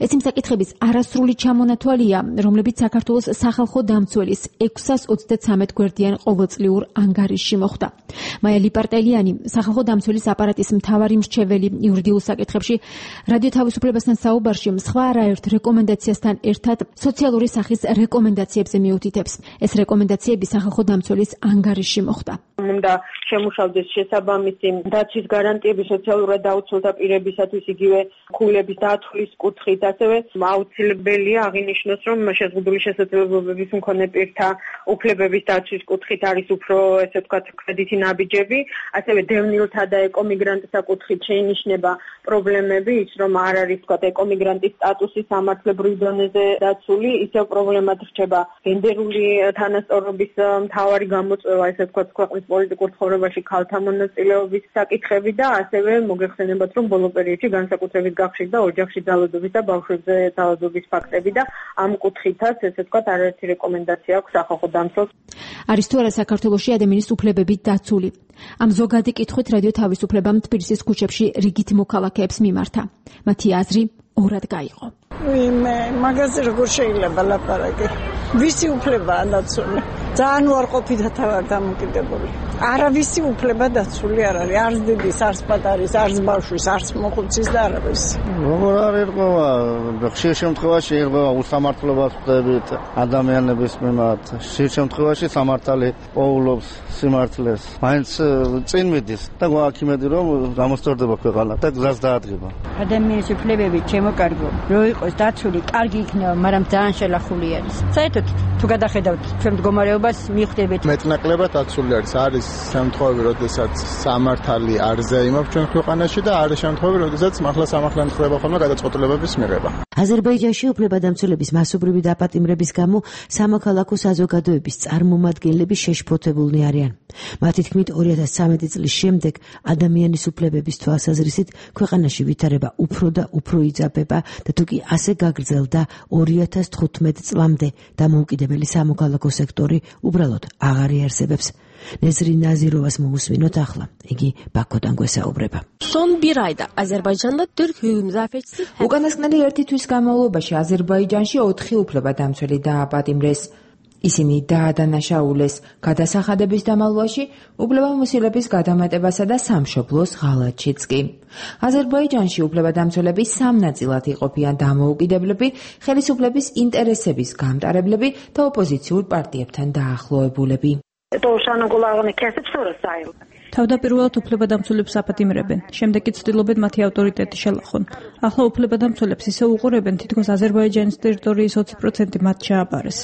ეს იმ საკითხების არასრული ჩამონათვალია, რომლებიც საქართველოს სახალხო დამცველის ექვსას ოცდათსამეტ გვერდიან ყოველწლიურ ანგარიშში მოხვდა. მაია ლიპარტელიანი, სახალხო დამცველის აპარატის მთავარი მრჩეველი იურიდიულ საკითხებში, რადიო თავისუფლებასთან საუბარში სხვა არაერთ რეკომენდაციასთან ერთად სოციალური სახის რეკომენდაციებზე მიუთითებს. ეს რეკომენდაციები სახალხო დამცველის ანგარიშში მოხვდა. უნდა შემუშავდეს შესაბამისი დაცვის გარანტიები სოციალურად დაუცველთა პირებისათვის, იგივე ხულების დათვლის კუთხით, ასევე აუცილებელია აღინიშნოს, რომ შეზღუდული შესაძლებლობების მქონე პირთა უფლებების დაცვის კუთხით არის უფრო, ესე ვთქვათ, კრედიტი ნაბიჯები, ასევე დევნილთა და ეკომიგრანტთა კუთხით შეინიშნება პრობლემები, ის რომ არ არის, ვთქვათ, ეკომიგრანტის სტატუსი სამართლებრივ დონეზე დაცული, ისევ პრობლემად რჩება გენდერული თანასწორობის მთავარი გამოწვევა, ესე ვთქვათ, ქვეყნის პოლიტიკურ ცხოვრებაში განვითარებაში ქალთა მონაწილეობის საკითხები და ასევე მოგეხსენებათ, რომ ბოლო პერიოდში განსაკუთრებით გახშირდა ოჯახში ძალადობის და ბავშვებზე ძალადობის ფაქტები და ამ კუთხითაც ესე ვთქვათ არაერთი რეკომენდაცია აქვს სახალხო დამცველს. არის თუ არა საქართველოში ადამიანის უფლებები დაცული? ამ ზოგადი კითხვით რადიო თავისუფლებამ თბილისის ქუჩებში რიგით მოქალაქეებს მიმართა. მათი აზრი ორად გაიყო. ვიმე, მაგაზე როგორ შეიძლება ლაპარაკი? ვისი უფლებაა დაცული? ძალიან უარყოფითად ვარ დამოკიდებული. არავისი უფლება დაცული არ არის, არც დიდის, არც პატარის, არც ბავშვის, არც მოხუცის და არავის. როგორ არ ერყვა, ხშირ შემთხვევაში ერყვა უსამართლობას ხდებით ადამიანების მიმართ. ხშირ შემთხვევაში სამართალი პოულობს სიმართლეს. მაინც წინ მიდის და გვაქვს რომ გამოსწორდება ქვეყანა და გზას დაადგება. ადამიანის უფლებები ჩემო კარგო, რო იყოს დაცული, კარგი იქნება, მაგრამ ძალიან შელახული არის. საერთოდ თუ გადახედავთ ჩვენ მდგომარეობას მიხვდებით მეტნაკლებად დაცული არის. არის შემთხვევები, როდესაც სამართალი არ ზეიმობს ჩვენ ქვეყანაში და არის შემთხვევები, როდესაც მართლა სამართლიანი ხდება ხოლმე გადაწყვეტილებების მიღება. აზერბაიჯანში უფლებადამცველების მასობრივი დაპატიმრების გამო სამოქალაქო საზოგადოების წარმომადგენლები შეშფოთებულნი არიან. მათი თქმით ორი ათას ცხრამეტი წლის შემდეგ ადამიანის უფლებების თვალსაზრისით ქვეყანაში ვითარება უფრო და უფრო იძაბება და თუკი ასე გაგრძელდა ორი ათას თხუთმეტ წლამდე დამოუკიდებელი სამოქალაქო სექტორი უბრალოდ აღარ იარსებებს. ნეზრი ნაზიროვას მოусმინოთ ახლა. იგი ბაქოდან გვესაუბრება. უკანასკნელი ერთი თვის განმავლობაში აზერბაიჯანში ოთხი უფლებადამცველი დააპატიმრეს. ისინი დაადანაშაულეს გადასახადების დამალვაში, უფლებამოსილების გადამეტებასა და სამშობლოს ღალატშიც კი. აზერბაიჯანში უფლებადამცველები სამ ნაწილად იყოფიან: დამოუკიდებლები, ხელისუფლების ინტერესების გამტარებლები და ოპოზიციურ პარტიებთან დაახლოებულები. თავდაპირველად უფლებადამცველებს აპატიმრებენ, შემდეგ კი ცდილობენ მათი ავტორიტეტი შელახონ. ახლა უფლებადამცველებს ისე უყურებენ, თითქოს აზერბაიჯანის ტერიტორიის ოცი პროცენტი მათ ჩააბარეს.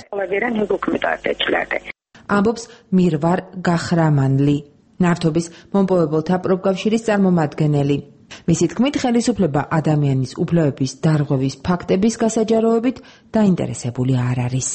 ამბობს მირვარ გახრამანლი, ნავთობის მომპოვებელთა პროფკავშირის წარმომადგენელი. მისი თქმით, ხელისუფლება ადამიანის უფლებების დარღვევის ფაქტების გასაჯაროებით დაინტერესებული არ არის.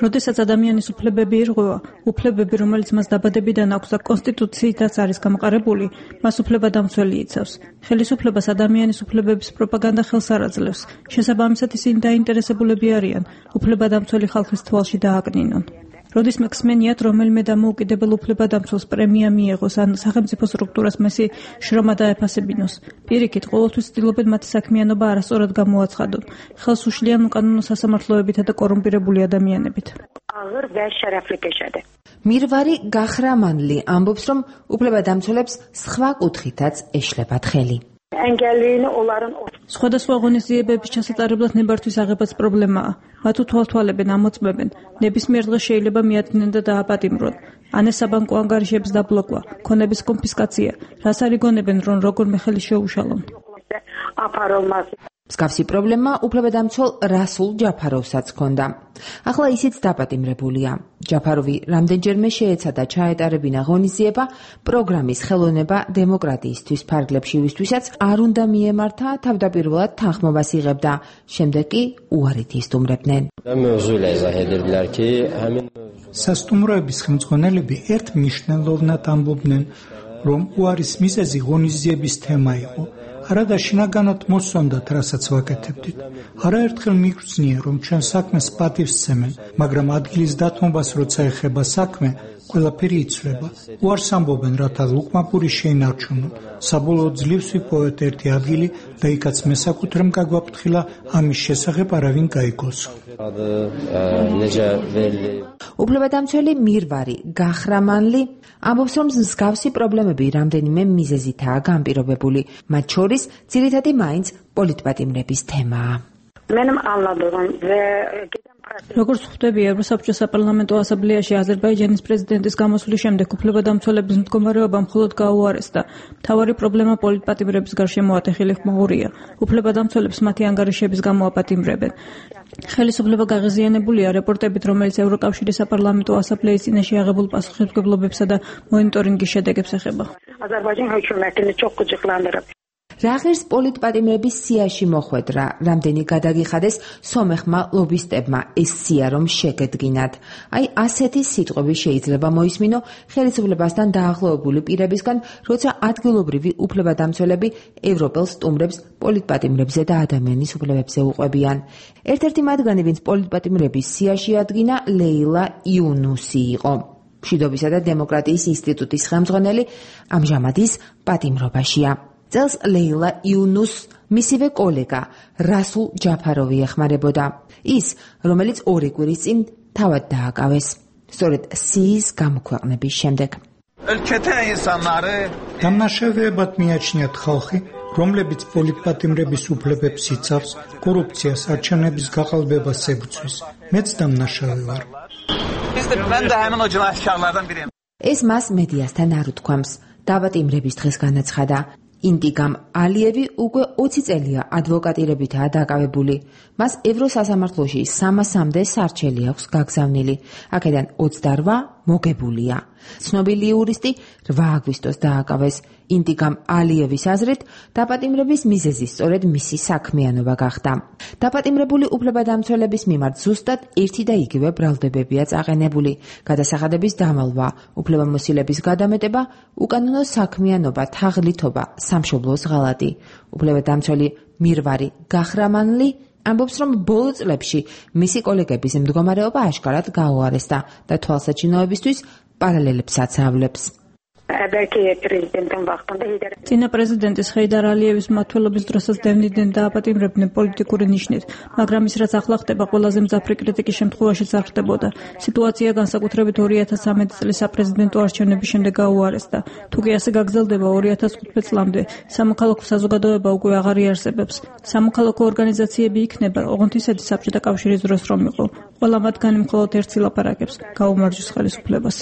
როდესაც ადამიანის უფლებები ირღვევა, უფლებები, რომელიც მას დაბადებიდან აქვს და კონსტიტუციითაც არის გამოყარებული, მას უფლებადამცველი იცავს. ხელისუფლებას ადამიანის უფლებების პროპაგანდა ხელს არ აძლევს. შესაბამისად, ისინი დაინტერესებულები არიან უფლებადამცველი ხალხის თვალში დააკნინონ. როდის მექსმენიათ რომელიმე დამოუკიდებელ უფლებადამცველს პრემია მიიღოს ან სახელმწიფო სტრუქტურას მისი შრომა დაეფასებინოს. პირიქით, ყოველთვის ცდილობენ მათი საქმიანობა არასწორად გამოაცხადონ, ხელს უშლიან უკანონო სასამართლოებითა და კორუმპირებული ადამიანებით. მირვარი გახრამანლი ამბობს, რომ უფლებადამცველებს სხვა კუთხითაც ეშლებათ ხელი. სხვადასხვა ღონისძიებების ჩასატარებლად ნებართვის აღებაც პრობლემაა. მათ უთვალთვალებენ, ამოწმებენ. ნებისმიერ დღეს შეიძლება მიადგნენ და დააპატიმრონ. ან ეს საბანკო ანგარიშების დაბლოკვა, ქონების კონფისკაცია, რას არიგონებენ, რომ როგორმე ხელი შეუშალონ. მსგავსი პრობლემა უფლებადამცველ რასულ ჯაფაროვსაც ჰქონდა. ახლა ისიც დაპატიმრებულია. ჯაფაროვი რამდენჯერმე შეეცადა ჩაეტარებინა ღონისძიება პროგრამის ხელოვნება დემოკრატიისთვის ფარგლებში ვისთვისაც არ უნდა მიემართა, თავდაპირველად თანხმობას იღებდა, შემდეგ კი უარით ისტუმრებდნენ. სასტუმროების ხელმძღვანელები ერთ მნიშვნელოვნად ამბობდნენ, რომ უარის მიზეზი ღონისძიების თემა იყო. არადა შინაგანად მოსწონდათ, რასაც ვაკეთებდით. არაერთხელ მიგვწნია, რომ ჩვენ საქმეს პატივს სცემენ, მაგრამ ადგილის დათმობას როცა ეხება საქმე, ყველაფერი იცვლება. უარს ამბობენ, რათა ლუკმაპური შეინარჩუნონ. საბოლოოდ ძლივს ვიპოვეთ ერთი ადგილი და იქაც მესაკუთრემ გაგვაფრთხილა, ამის შესახებ არავინ გაიგოსო. უფლებადამცველი მირვარი გახრამანლი ამბობს, რომ მსგავსი პრობლემები რამდენიმე მიზეზითაა განპირობებული, მათ შორის ძირითადი მაინც პოლიტპატიმრების თემაა. როგორც ხვდები, ევროსაბჭოს საპარლამენტო ასამბლეაში აზერბაიჯანის პრეზიდენტის გამოსვლის შემდეგ უფლებადამცველების მდგომარეობა მხოლოდ გაუარესდა. მთავარი პრობლემა პოლიტპატიმრების გარშემო ატეხილი ხმაურია. უფლებადამცველებს მათი ანგარიშების გამო აპატიმრებენ. ხელისუფლება გაღიზიანებულია რეპორტებით, რომელიც ევროკავშირის საპარლამენტო ასამბლეის წინაშე აღებულ პასუხისმგებლობებსა და მონიტორინგის შედეგებს ეხება. რა ღირს პოლიტპატიმრების სიაში მოხვედრა, რამდენი გადაგიხადეს სომეხმა ლობისტებმა ეს სია რომ შეგედგინათ. აი ასეთი სიტყვები შეიძლება მოისმინო ხელისუფლებასთან დაახლოებული პირებისგან, როცა ადგილობრივი უფლებადამცველები ევროპელ სტუმრებს პოლიტპატიმრებზე და ადამიანის უფლებებზე უყვებიან. ერთ-ერთი მათგანი, ვინც პოლიტპატიმრების სიაში ადგინა, ლეილა იუნუსი იყო. მშვიდობისა და დემოკრატიის ინსტიტუტის ხელმძღვანელი, ამჟამად ის პატიმრობაშია. წელს ლეილა იუნუს მისივე კოლეგა რასულ ჯაფაროვი ეხმარებოდა. ის, რომელიც ორი კვირის წინ თავად დააკავეს. სწორედ სიის გამოქვეყნების შემდეგ. დამნაშავეებად მიაჩნიათ ხალხი, რომლებიც პოლიტპატიმრების უფლებებს იცავს, კორუფციას, არჩევნების გაყალბებას ებრძვის. მეც დამნაშავე ვარ. ეს მას მედიასთან არ უთქვამს. დაპატიმრების დღეს განაცხადა. ინტიგამ ალიევი უკვე ოცი წელია ადვოკატირებითაა დაკავებული. მას ევროსასამართლოში სამასამდე სარჩელი აქვს გაგზავნილი. აქედან ოცდარვა მოგებულია. ცნობილი იურისტი რვა აგვისტოს დააკავეს. ინტიგამ ალიევის აზრით, დაპატიმრების მიზეზი სწორედ მისი საქმიანობა გახდა. დაპატიმრებული უფლებადამცველების მიმართ ზუსტად ერთი და იგივე ბრალდებებია წაყენებული. გადასახადების დამალვა, უფლებამოსილების გადამეტება, უკანონო საქმიანობა, თაღლითობა, სამშობლოს ღალატი. უფლებადამცველი მირვარი გახრამანლი ამბობს, რომ ბოლო წლებში მისი კოლეგების მდგომარეობა აშკარად გაუარესდა და თვალსაჩინოებისთვის პარალელებსაც ავლებს. წინა პრეზიდენტის ჰეიდარ ალიევის მმართველობის დროსაც დევნიდნენ და აპატიმრებდნენ პოლიტიკური ნიშნით, მაგრამ ის რაც ახლა ხდება, ყველაზე მძაფრი კრიტიკის შემთხვევაშიც არ ხდებოდა. სიტუაცია განსაკუთრებით ორი ათას სამი წლის საპრეზიდენტო არჩევნების შემდეგ გაუარესდა. თუ კი ასე გაგრძელდება ორი ათას ხუთმეტ წლამდე, სამოქალაქო საზოგადოება უკვე აღარ იარსებებს. სამოქალაქო ორგანიზაციები იქნება, ოღონდ ისეთი საბჭოთა კავშირის დროს რომ იყო. ყველა მათგანი მხოლოდ ერთს ილაპარაკებს, გაუმარჯოს ხელისუფლებას.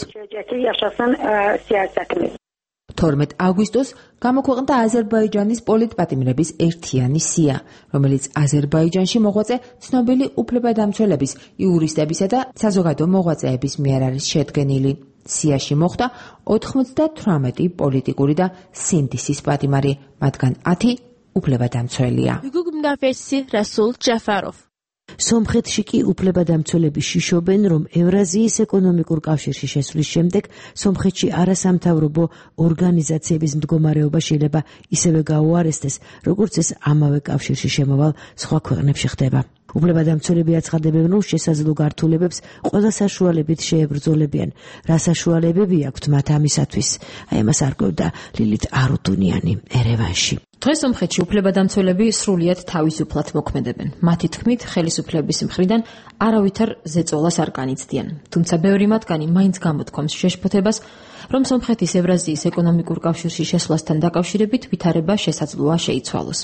თორმეტ აგვისტოს გამოქვეყნდა აზერბაიჯანის პოლიტპატიმრების ერთიანი სია, რომელიც აზერბაიჯანში მოღვაწე ცნობილი უფლებადამცველების, იურისტებისა და საზოგადო მოღვაწეების მიერ არის შედგენილი. სიაში მოხვდა ოთხმოცდათვრამეტი პოლიტიკური და სინდისის პატიმარი, მათგან ათი უფლებადამცველია. რასულ ჯაფაროვ სომხეთში კი უფლებადამცველები შიშობენ, რომ ევრაზიის ეკონომიკურ კავშირში შესვლის შემდეგ სომხეთში არასამთავრობო ორგანიზაციების მდგომარეობა შეიძლება ისევე გაუარესდეს, როგორც ეს ამავე კავშირში შემავალ სხვა ქვეყნებში ხდება. უფლებადამცველები აცხადებენ, რომ შესაძლო გართულებებს ყველა საშუალებით შეებრძოლებიან. რა საშუალებები აქვთ მათ ამისათვის? აი ამას არკვევდა ლილით არუდუნიანი ერევანში. დღეს სომხეთში უფლებადამცველები სრულიად თავისუფლად მოქმედებენ. მათი თქმით, ხელისუფლების მხრიდან არავითარ ზეწოლას არ განიცდიან. თუმცა ბევრი მათგანი მაინც გამოთქვამს შეშფოთებას, რომ სომხეთის ევრაზიის ეკონომიკურ კავშირში შესვლასთან დაკავშირებით ვითარება შესაძლოა შეიცვალოს.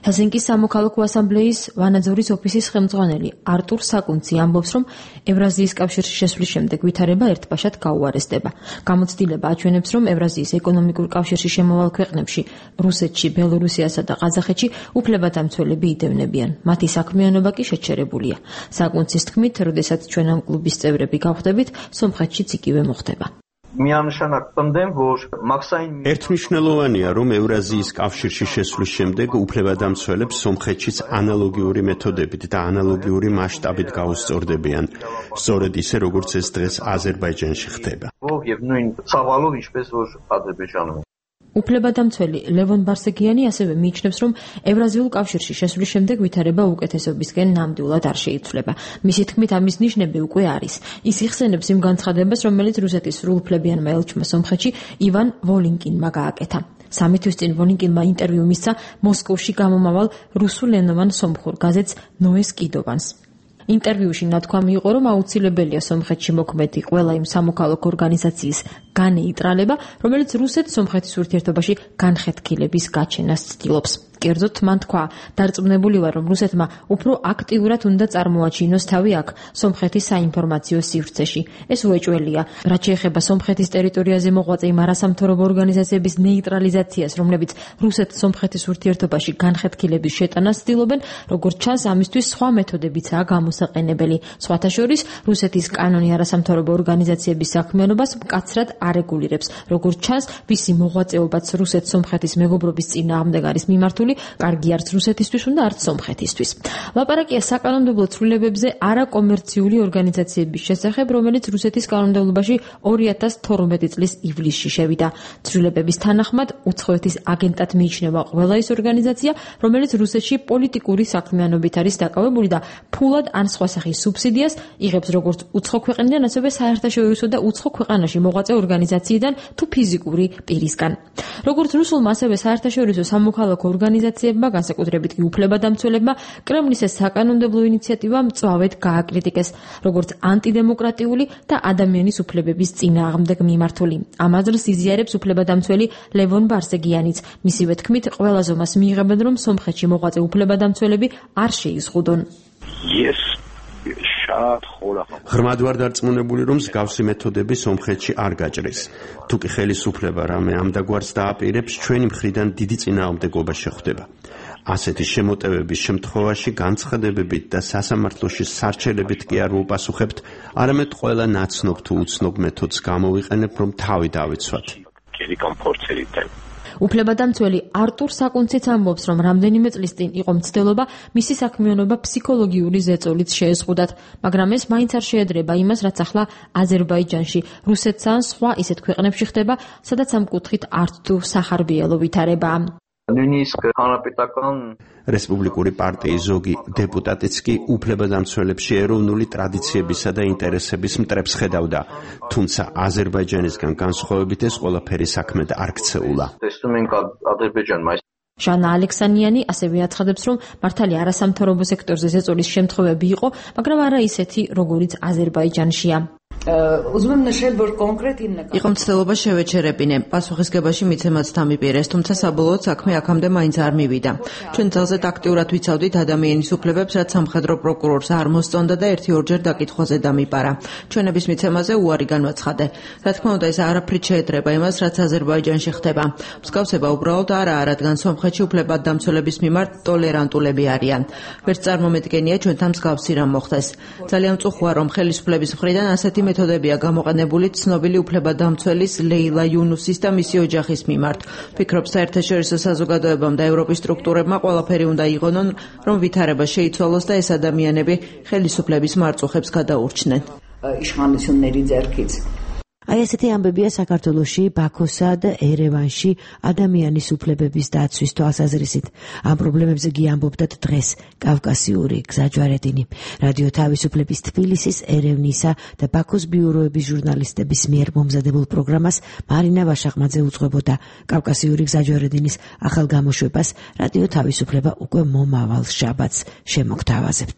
ჰელსინკის სამოქალაქო ასამბლეის ვანაძორის ოფისის ხელმძღვანელი არტურ საკუნცი ამბობს, რომ ევრაზიის კავშირში შესვლის შემდეგ ვითარება ერთბაშად გაუარესდება. გამოცდილება აჩვენებს, რომ ევრაზიის ეკონომიკურ კავშირში შემავალ ქვეყნებში, რუსეთში, ბელორუსიასა და ყაზახეთში უფლებადამცველები იდევნებიან. მათი საქმიანობა კი შეჩერებულია. საკუნცის თქმით, როდესაც ჩვენ ამ კლუბის წევრები გავხდებით, სომხეთშიც იგივე მოხდება. ერთმნიშვნელოვანია, რომ ევრაზიის კავშირში შესვლის შემდეგ უფლებადამცველებს სომხეთშიც ანალოგიური მეთოდებით და ანალოგიური მასშტაბით გაუსწორდებიან, სწორედ ისე, როგორც ეს დღეს აზერბაიჯანში ხდება. უფლებადამცველი ლევონ ბარსეგიანი ასევე მიიჩნევს, რომ ევრაზიულ კავშირში შესვლის შემდეგ ვითარება უკეთესობისკენ ნამდვილად არ შეიცვლება. მისი თქმით, ამის ნიშნები უკვე არის. ის იხსენებს იმ განცხადებას, რომელიც რუსეთის სრულუფლებიანმა ელჩმა სომხეთში ივან ვოლინკინმა გააკეთა. სამი თვის წინ ვოლინკინმა ინტერვიუ მისცა მოსკოვში გამომავალ რუსულენოვან სომხურ გაზეთს ნოეს კიდოვანს. ინტერვიუში ნათქვამი იყო, რომ აუცილებელია სომხეთში მოქმედი ყველა იმ სამოქალაქო ორგანიზაციის განეიტრალება, რომელიც რუსეთ-სომხეთის ურთიერთობაში განხეთქილების გაჩენას ცდილობს. კერძოდ მან თქვა, დარწმუნებული ვარ, რომ რუსეთმა უფრო აქტიურად უნდა წარმოაჩინოს თავი აქ, სომხეთის საინფორმაციო სივრცეში. ეს უეჭველია, რაც შეეხება სომხეთის ტერიტორიაზე მოღვაწე იმ არასამთავრობო ორგანიზაციების ნეიტრალიზაციას, რომლებიც რუსეთ-სომხეთის ურთიერთობაში განხეთქილების შეტანას ცდილობენ, როგორც ჩანს, ამისთვის სხვა მეთოდებიცაა გამოსაყენებელი. სხვათა შორის, რუსეთის კანონი არასამთავრობო ორგანიზაციების საქმიანობას მკაცრად არეგულირებს. როგორც ჩანს, ვისი მოღვაწეობაც რუსეთ-სომხეთის მეგობრობის წინააღმდეგ არის მიმართული, კარგი არც რუსეთისთვის უნდა არც სომხეთისთვის. ლაპარაკია საკანონმდებლო ცვლილებებზე არაკომერციული ორგანიზაციების შესახებ, რომელიც რუსეთის კანონმდებლობაში ორი ათას თორმეტი წლის ივლისში შევიდა. ცვლილებების თანახმად, უცხოეთის აგენტად მიიჩნევა ყველა ის ორგანიზაცია, რომელიც რუსეთში პოლიტიკური საქმიანობით არის დაკავებული და ფულად ან სხვა სახის სუბსიდიას იღებს როგორც უცხო ქვეყნიდან, ასევე საერთაშორისო და უცხო ქვეყანაში მოღვაწე ორგანიზაციიდან თუ ფიზიკური პირისგან. როგორც რუსულმა, ასევე საერთაშორისო სამოქალაქო ორგანიზაციებმა, განსაკუთრებით კი უფლებადამცველებმა, კრემლის ეს საკანონმდებლო ინიციატივა მწვავედ გააკრიტიკეს, როგორც ანტიდემოკრატიული და ადამიანის უფლებების წინააღმდეგ მიმართული. ამ აზრს იზიარებს უფლებადამცველი ლევონ ბარსეგიანიც. მისივე თქმით, ყველა ზომას მიიღებენ, რომ სომხეთში მოღვაწე უფლებადამცველები არ შეიზღუდონ. Yes. ღრმად ვარ დარწმუნებული, რომ მსგავსი მეთოდები სომხეთში არ გაჭრეს. თუკი ხელისუფლება რამე ამდაგვარს დააპირებს, ჩვენი მხრიდან დიდი წინააღმდეგობა შეხვდება. ასეთი შემოტევების შემთხვევაში განცხადებებით და სასამართლოში სარჩელებით კი არ ვუპასუხებთ, არამედ ყველა ნაცნობ თუ უცნობ მეთოდს გამოვიყენებ, რომ თავი დავიცვათ. უფლებადამცველი არტურ საკუნციც ამბობს, რომ რამდენიმე წლის წინ იყო მცდელობა მისი საქმიანობა ფსიქოლოგიური ზეწოლით შეეზღუდათ, მაგრამ ეს მაინც არ შეედრება იმას, რაც ახლა აზერბაიჯანში, რუსეთსა ან სხვა ისეთ ქვეყნებში ხდება, სადაც ამ კუთხით არც თუ სახარბიელო ვითარებაა. რესპუბლიკური პარტიის ზოგი დეპუტატიც კი უფლებადამცველებში ეროვნული ტრადიციებისა და ინტერესების მტრებს ხედავდა, თუმცა აზერბაიჯანისგან განსხვავებით ეს ყველაფერი საქმედ არ ქცეულა. ჟანა ალექსანიანი ასევე აცხადებს, რომ მართალია არასამთავრობო სექტორზე ზეწოლის შემთხვევები იყო, მაგრამ არა ისეთი, როგორიც აზერბაიჯანშია. იყო მცდელობა შევეჩერებინე, პასუხისგებაში მიცემაც დამიპირეს, თუმცა საბოლოოდ საქმე აქამდე მაინც არ მივიდა. ჩვენ ძალზედ აქტიურად ვიცავდით ადამიანის უფლებებს, რაც სამხედრო პროკურორს არ მოსწონდა და ერთი-ორჯერ დაკითხვაზე დამიპარა. ჩვენების მიცემაზე უარი განვაცხადე. რა თქმა უნდა, ეს არაფრით შეედრება იმას, რაც აზერბაიჯანში ხდება. მსგავსება უბრალოდ არაა, რადგან სომხეთში უფლებადამცველების მიმართ ტოლერანტულები არიან. ვერც წარმომედგენია ჩვენთან მსგავსი რამ მოხდეს. ძალიან მწუხოა, რომ ხელისუფლების მხრიდან ასეთი მეთოდებია გამოყენებული ცნობილი უფლებადამცველის ლეილა იუნუსის და მისი ოჯახის მიმართ. ფიქრობ, საერთაშორისო საზოგადოებამ და ევროპის სტრუქტურებმა ყველაფერი უნდა იღონონ, რომ ვითარება შეიცვალოს და ეს ადამიანები ხელისუფლების მარწუხებს გადაურჩნენ. აი ესეთი ამბებია საქართველოში, ბაქოსა და ერევანში ადამიანის უფლებების დაცვის თვალსაზრისით. ამ პრობლემებზე კი ამბობდათ დღეს კავკასიური გზაჯვარედინი. რადიო თავისუფლების თბილისის, ერევნისა და ბაქოს ბიუროების ჟურნალისტების მიერ მომზადებულ პროგრამას მარინა ვაშახმაძე უძღვებოდა. კავკასიური გზაჯვარედინის ახალ გამოშვებას რადიო თავისუფლება უკვე მომავალ შაბათს შემოგთავაზებთ.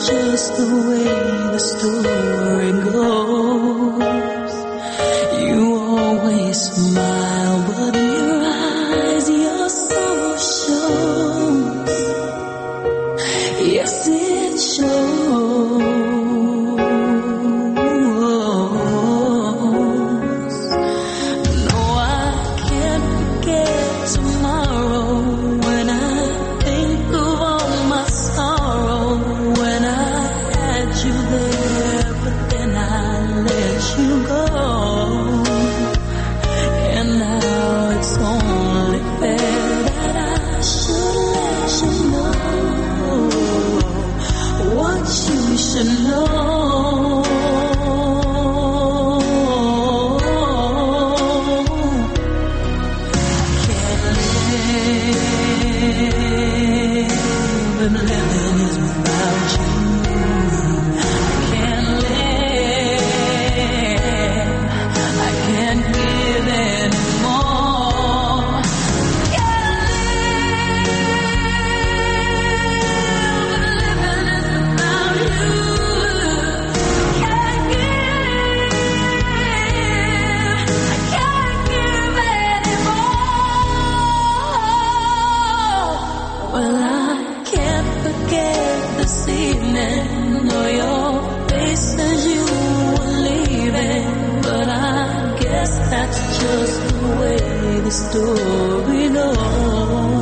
Just the way the story goes. You always smile, but in your eyes your sorrow shows. Yes, it shows. No, I can't forget tomorrow when I think of all my sorrow. You there, but then I let you go, and now it's only fair that I should let you know what you should know. Can't live, and living is without you. Can't live this evening, know your face says you were leaving, but I guess that's just the way the story goes.